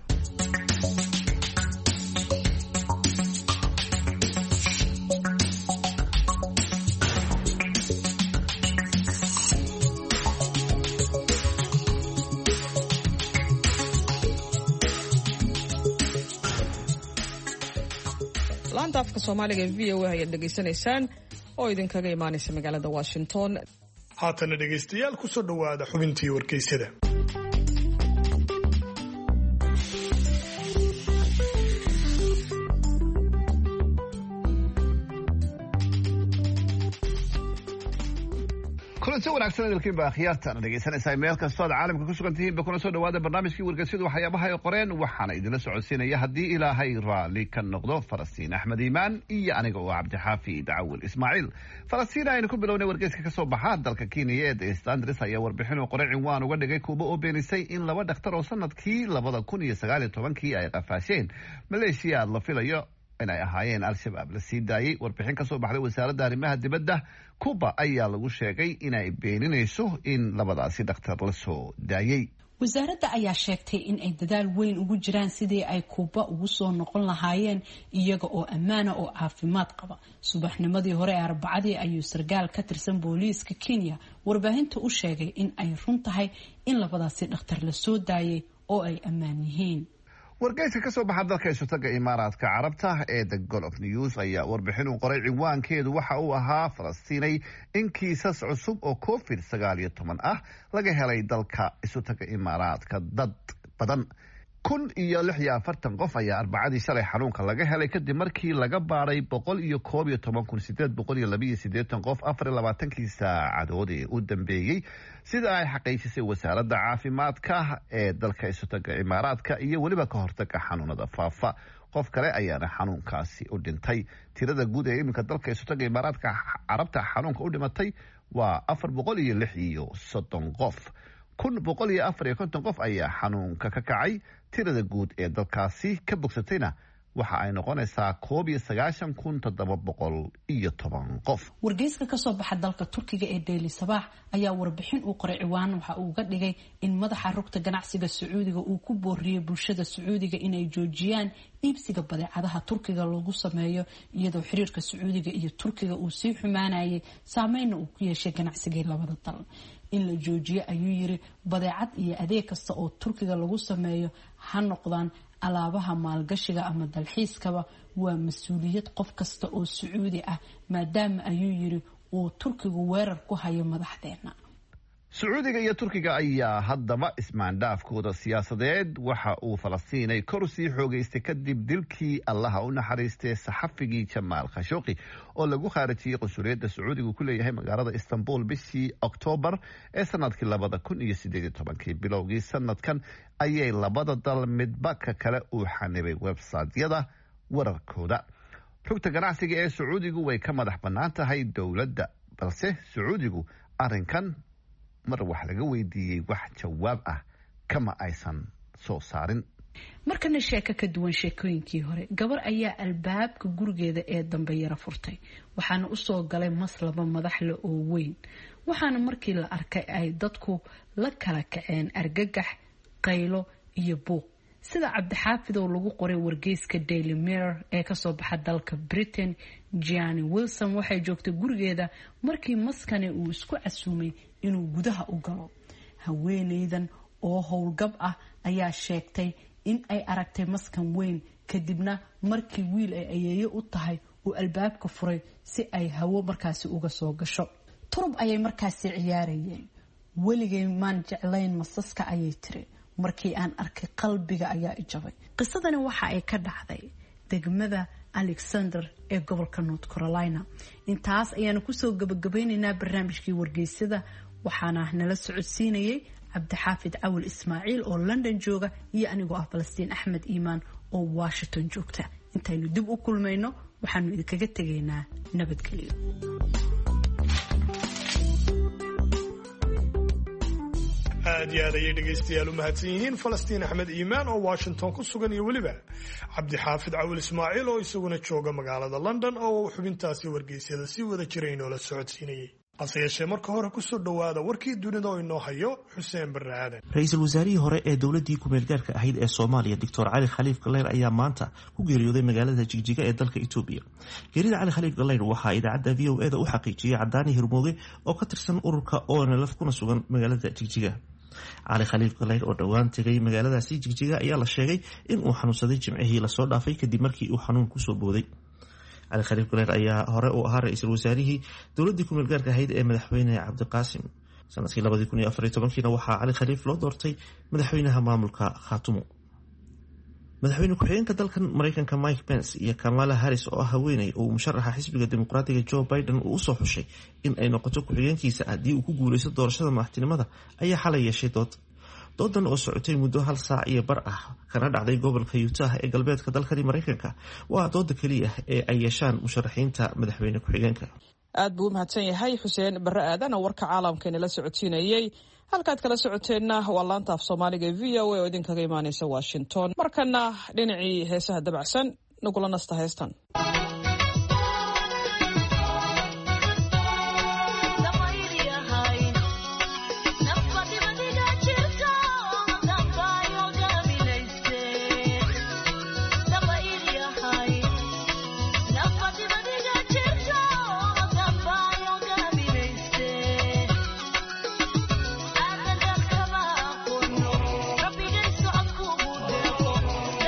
Laanta afka Soomaaliga ee V O A ayaad dhegaysanaysaan oo idinkaga imaanaysa magaalada Washington. Haatana dhegaystayaal, kusoo dhowaada xubintii wargeysyada. Kulanti wanaagsan idilkiinba akhyaartaan dhegeysanaysaa meel kastoo aad caalamka ku sugan tihiinba, kuna soo dhawaada barnaamijkii wargeysyadu waxyaabaha ay qoreen. Waxaana idinla socodsiinaya, haddii Ilaahay raalli ka noqdo, Falastiin Axmed Iimaan iyo aniga oo Cabdixaafi Dacawil Ismaaciil. Falastiin, aynu ku bilownay wargeyska kasoo baxa dalka Kenya ee The Standard ayaa warbixin uu qoray cinwaan uga dhigay Kuuba oo beenisay in laba dhakhtar oo sanadkii labada kun iyo sagaal iyo tobankii ay qafaasheen maleeshiyaad la filayo inay ahaayeen Al-Shabaab la sii daayey. Warbixin ka soo baxday wasaaradda arrimaha dibadda Cuba ayaa lagu sheegay inay beeninayso in labadaasi dhakhtar la soo daayey. Wasaaradda ayaa sheegtay in ay dadaal weyn ugu jiraan sidii ay Kuuba ugu soo noqon lahaayeen iyaga oo ammaana oo caafimaad qaba. Subaxnimadii hore ee Arbacadii ayuu sarkaal ka tirsan booliiska Kenya warbaahinta u sheegay in ay run tahay in labadaasi dhakhtar la soo daayay oo ay ammaan yihiin. Wargeyska kasoo baxa dalka Isutaga Imaaraadka Carabta ee The Gulf News ayaa warbixin uu qoray cinwaankeedu waxa uu ahaa, Falastiinay, in kiisas cusub oo Covid sagaal iyo toban ah laga helay dalka Isutaga Imaaraadka. Dad badan kun iyo lix iyo afartan qof ayaa Arbacadii shalay xanuunka laga helay, kadib markii laga baaray boqol iyo koob iyo toban kun sideed boqol iyo labiyo sideetan qof afar iyo labaatankii saacadood ee u dambeeyey, sida ay xaqiijisay wasaaradda caafimaadka ee dalka Isutaga Imaaraadka iyo weliba ka hortaga xanuunada faafa. Qof kale ayaana xanuunkaasi u dhintay. Tirada guud ee iminka dalka Isutaga Imaaraadka Carabta xanuunka u dhimatay waa afar boqol iyo lix iyo soddon qof. Kun boqol iyo afar iyo konton qof ayaa xanuunka ka kacay. Tirada guud ee dalkaasi ka bogsatayna waxa ay noqonaysaa koob iyo sagaashan kun toddoba boqol iyo toban qof. Wargeyska kasoo baxa dalka Turkiga ee Daily Sabaax ayaa warbixin uu qoray ciwaan waxa uu uga dhigay in madaxa rugta ganacsiga Sacuudiga uu ku booriyey bulshada Sacuudiga inay joojiyaan iibsiga badeecadaha Turkiga loogu sameeyo, iyadoo xiriirka Sacuudiga iyo Turkiga uu sii xumaanayay, saameynna uu ku yeeshay ganacsigii labada dal. In la joojiyo, ayuu yiri, badeecad iyo adeeg kasta oo Turkiga lagu sameeyo, ha noqdaan alaabaha maalgashiga ama dalxiiskaba, waa mas-uuliyad qof kasta oo Sacuudi ah, maadaama, ayuu yiri, uu Turkigu weerar ku hayo madaxdeena. Sacuudiga iyo Turkiga ayaa haddaba ismaandhaafkooda siyaasadeed waxa uu, Falastiinay, kor sii xoogeystay kadib dilkii, Allaha u naxariistay, saxafigii Jamaal Khashooqi oo lagu khaarijiyey qunsuliyadda Sacuudigu ku leeyahay magaalada Istanbul bishii Oktoobar ee sanadkii labada kun iyo sideed iyo tobankii. Bilowgii sanadkan ayay labada dal midba ka kale uu xanibay websaytyada wararkooda. Rugta ganacsiga ee Sacuudigu way ka madax bannaan tahay dowladda, balse Sacuudigu arrinkan mar wax laga weydiiyey wax jawaab ah kama aysan soo saarin. Markana sheeko ka duwan sheekooyinkii hore. Gabar ayaa albaabka gurigeeda ee dambe yara furtay, waxaana usoo galay maslaba madaxle oo weyn, waxaana markii la arkay ay dadku la kala kaceen argagax, qaylo iyo buuq. Sida Cabdixaafid oo lagu qoray wargeyska Daily Mirror ee kasoo baxa dalka Britain, Gianni Wilson waxay joogtay gurigeeda markii maskani uu isku casuumay inuu gudaha u galo. Haweeneydan oo howlgab ah ayaa sheegtay in ay aragtay maskan weyn, kadibna markii wiil ay ayeeyo u tahay uu albaabka furay si ay hawo markaasi uga soo gasho. Turub ayay markaasi ciyaarayeen. Weligay maan jeclayn masaska, ayay tiri. Markii aan arkay qalbiga ayaa ijabay. Qisadani waxa ay ka dhacday degmada Alexander ee gobolka North Carolina. Intaas ayaanu kusoo gabagabeynaynaa barnaamijkii wargeysyada, waxaana nala socodsiinayay Cabdixaafid Cawil Ismaaciil oo London jooga iyo anigoo ah Falastiin Axmed Iimaan oo Washington joogta. Intaynu dib u kulmayno waxaanu idinkaga tegaynaa nabadgelyo. Aad iyo aad ayay dhegaystayaal u mahadsan yihiin Falastiin Axmed Iimaan oo Washington ku sugan iyo weliba Cabdixaafid Cawil Ismaaciil oo isaguna jooga magaalada London oo xubintaasi wargeysyada si wada jiray inoola socodsiinayay. Hase yeeshee marka hore kusoo dhowaada warkii dunida oo inoo hayo Xuseen Barre Aadan. Ra-iisul wasaarihii hore ee dowladdii ku-meelgaarka ahayd ee Soomaaliya, Doctor Cali Khaliif Galeyr, ayaa maanta ku geeriyooday magaalada Jigjiga ee dalka Itoobiya. Geerida Cali Khaliif Galeyr waxaa idaacadda V O E da u xaqiijiyey Cadaani Hirmooge oo ka tirsan ururka O N L F kuna sugan magaalada Jigjiga. Cali Khaliif Galeyr oo dhowaan tegay magaaladaasi Jigjiga ayaa la sheegay in uu xanuunsaday jimcihii lasoo dhaafay kadib markii uu xanuun kusoo booday. Cali Khaliif Galeyr ayaa hore u ahaa ra-iisul wasaarihii dowladdii ku-meelgaarka ahayd ee madaxweyne Cabdiqaasim. Sanadkii labadii kun iyo afar iyo tobankiina waxaa Cali Khaliif loo doortay madaxweynaha maamulka Khaatumo. Madaxweyne ku-xigeenka dalkan Mareykanka Mike Pence iyo Kamala Harris oo ah haweeney uu musharaxa xisbiga Dimuqraadiga Joe Biden uu usoo xushay in ay noqoto ku-xigeenkiisa haddii uu ku guuleysto doorashada madaxtinimada ayaa xalay yeeshay dood. Doodan oo socotay muddo hal saac iyo bar ah kana dhacday gobolka Utah ee galbeedka dalkani Mareykanka waa dooda keliya ee ay yeeshaan musharaxiinta madaxweyne ku-xigeenka. Aad buu u mahadsan yahay Xuseen Barre Aadan oo warka caalamka inala socodsiinayey. Halkaad kala socoteenna waa laanta af Soomaaliga ee V O A oo idinkaga imaaneysa Washington. Markana dhinacii heesaha dabacsan nagula nasta heestan.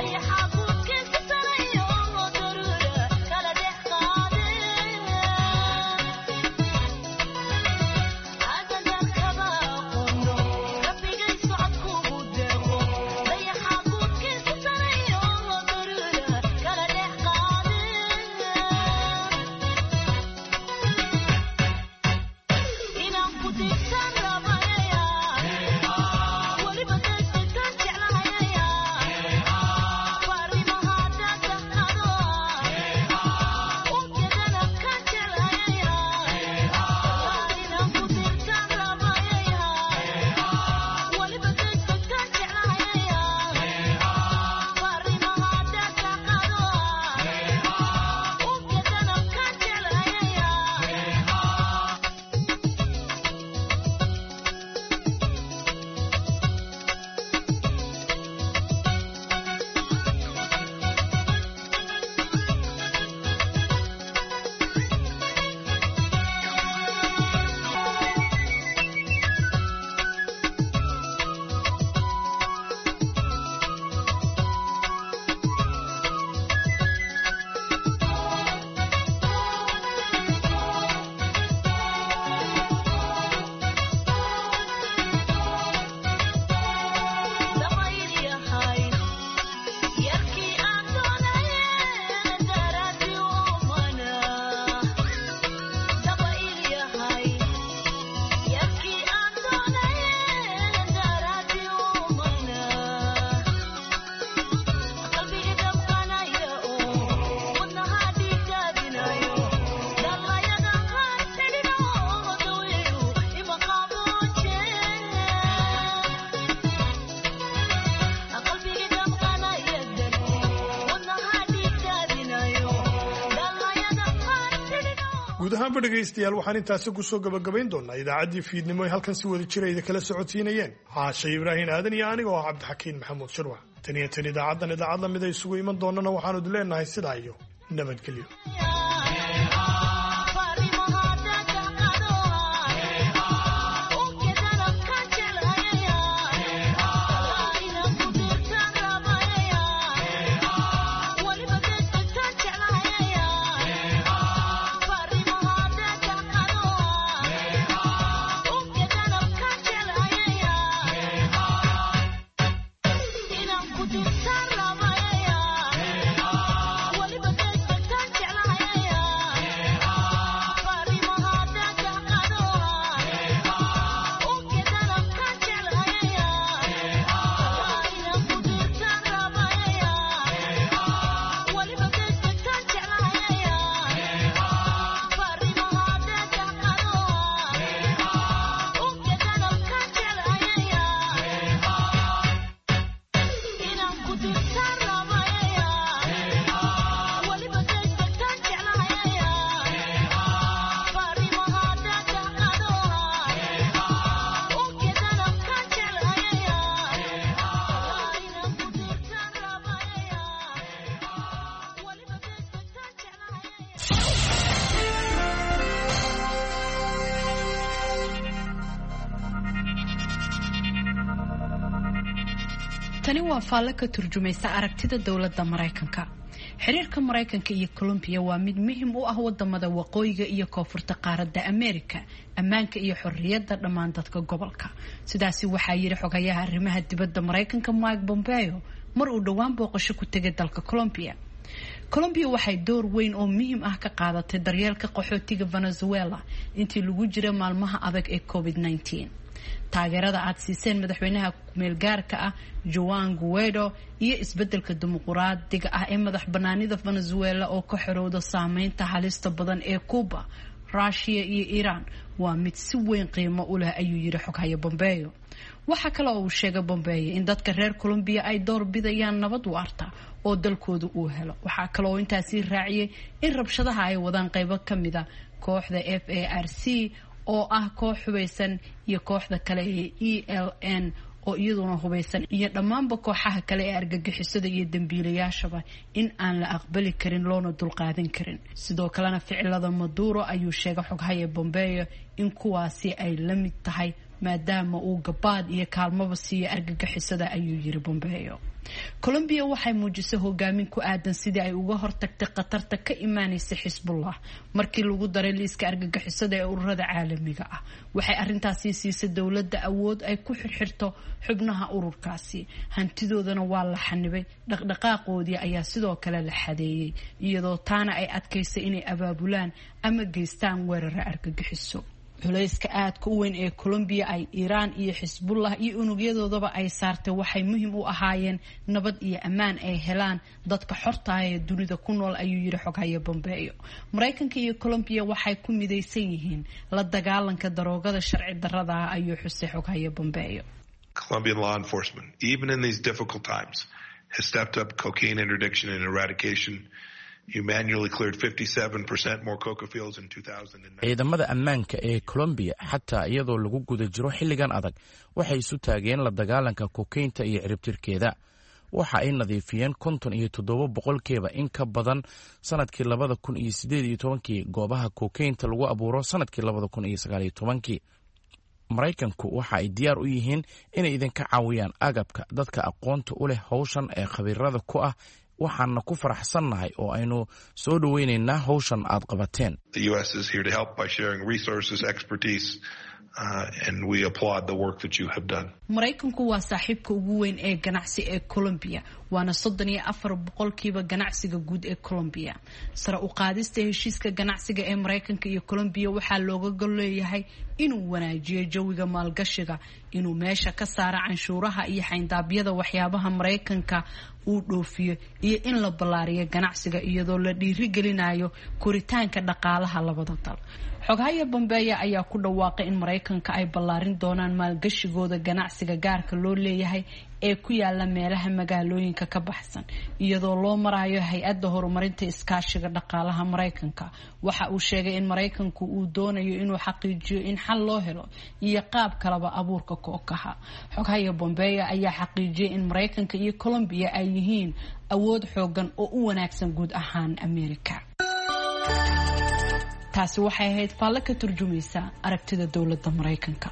Yeah. Guud ahaanba dhegaystayaal, waxaan intaasi kusoo gabagabayn doonaa idaacaddii fiidnimo ay halkan si wada jira idin kala socodsiinayeen Caashe Ibraahin Aadan iyo aniga oo ah Cabdixakiin Maxamuud Shirwac. Tan iyo tan idaacaddan idaacad lamid ay isugu iman doonana, waxaanu idin leenahay sidaa iyo nabadgelyo. Tani waa faalle ka turjumaysa aragtida dowladda Maraykanka. Xiriirka Maraykanka iyo Colombiya waa mid muhiim u ah wadamada waqooyiga iyo koonfurta qaaradda Ameerika, ammaanka iyo xorriyadda dhammaan dadka gobolka. Sidaasi waxaa yidhi xogayaha arrimaha dibadda Maraykanka Mike Pompeo mar uu dhowaan booqasho ku tegay dalka Colombia. Colombia waxay door weyn oo muhiim ah ka qaadatay daryeelka qaxootiga Venezuela intii lagu jira maalmaha adag ee covid nineteen. Taageerada aad siiseen madaxweynaha kumeelgaarka ah Juan Guaido iyo isbedelka dimuquraadiga ah ee madax banaanida Venezuela oo ka xorowda saameynta halista badan ee Cuba, Russia iyo Iran waa mid si weyn qiimo u leh, ayuu yidhi xoghaye Pompeo. Waxaa kale oo uu sheegay Pompeo in dadka reer Colombia ay door bidayaan nabad waarta oo dalkooda uu helo. Waxaa kale oo intaasi raaciyay in rabshadaha ay wadaan qaybo ka mid a kooxda F A R C oo ah koox hubeysan iyo kooxda kale ee E L N oo iyaduna hubeysan iyo dhammaanba kooxaha kale ee argagixisada iyo dembiilayaashaba in aan la aqbali karin loona dulqaadan karin. Sidoo kalena ficilada Maduro ayuu sheegay xoghaye Pompeo in kuwaasi ay la mid tahay maadaama uu gabaad iyo kaalmaba siiya argagixisada, ayuu yiri Pompeo. Colombia waxay muujisay hogaamin ku aadan sidii ay uga hortagtay khatarta ka imaanaysa Xisbullah markii lagu daray liiska argagixisada ee ururada caalamiga ah. Waxay arrintaasi siisay dowladda awood ay ku xirxirto xubnaha ururkaasi, hantidoodana waa la xanibay, dhaqdhaqaaqoodii ayaa sidoo kale la xadeeyey, iyadoo taana ay adkaysay inay abaabulaan ama geystaan weerara argagixiso. Culayska aadka u weyn ee Colombia ay Iiraan iyo Xisbullah iyo unugyadoodaba ay saartay waxay muhiim u ahaayeen nabad iyo ammaan ay helaan dadka xorta ah ee dunida ku nool, ayuu yidhi xoghaye Pompeo. Maraykanka iyo Colombia waxay ku midaysan yihiin la dagaalanka daroogada sharci darrada ah, ayuu xusay xoghaye Pompeo. Colombian law enforcement, even in these difficult times, has stepped up cocaine interdiction and eradication. You manually cleared fifty-seven percent more coca fields in two thousand nine. Ciidamada ammaanka ee Colombia, xataa iyadoo lagu guda jiro xilligan adag, waxay isu taageen la dagaalanka kokaynta iyo ciribtirkeeda. Waxa ay nadiifiyeen konton iyo toddoba boqolkiiba in ka badan sanadkii labada kun iyo sideed iyo tobankii goobaha kokaynta lagu abuuro sanadkii labada kun iyo sagaal iyo tobankii. Maraykanku waxa ay diyaar u yihiin inay idinka caawiyaan agabka dadka aqoonta u leh howshan ee khabiirada ku ah, waxaana ku faraxsannahay oo aynu soo dhoweynaynaa howshan aad qabateen. The U S is here to help by sharing resources, expertise, uh, and we applaud the work that you have done. Maraykanku waa saaxiibka ugu weyn ee ganacsi ee Colombia, waana soddon iyo afar boqolkiiba ganacsiga guud ee Colombia. Sare u qaadista heshiiska ganacsiga ee Maraykanka iyo Colombia waxaa looga gol leeyahay inuu wanaajiyo jawiga maalgashiga, inuu meesha ka saaro canshuuraha iyo xayndaabyada waxyaabaha Maraykanka uu dhoofiyo, iyo in la ballaariyo ganacsiga iyadoo la dhiirigelinayo koritaanka dhaqaalaha labada dal. Xoghaya Bombeya ayaa ku dhawaaqay in Maraykanka ay ballaarin doonaan maalgashigooda ganacsiga gaarka loo leeyahay ee ku yaala meelaha magaalooyinka ka baxsan, iyadoo loo marayo hay-adda horumarinta iskaashiga dhaqaalaha Maraykanka. Waxa uu sheegay in Maraykanku uu doonayo inuu xaqiijiyo in xal loo helo iyo qaab kalaba abuurka kookaha. Xoghaya Bombeya ayaa xaqiijiyay in Maraykanka iyo Colombiya ay yihiin awood xoogan oo u wanaagsan guud ahaan Amerika. Taasi waxay ahayd faallo ka turjumaysa aragtida dowladda Maraykanka.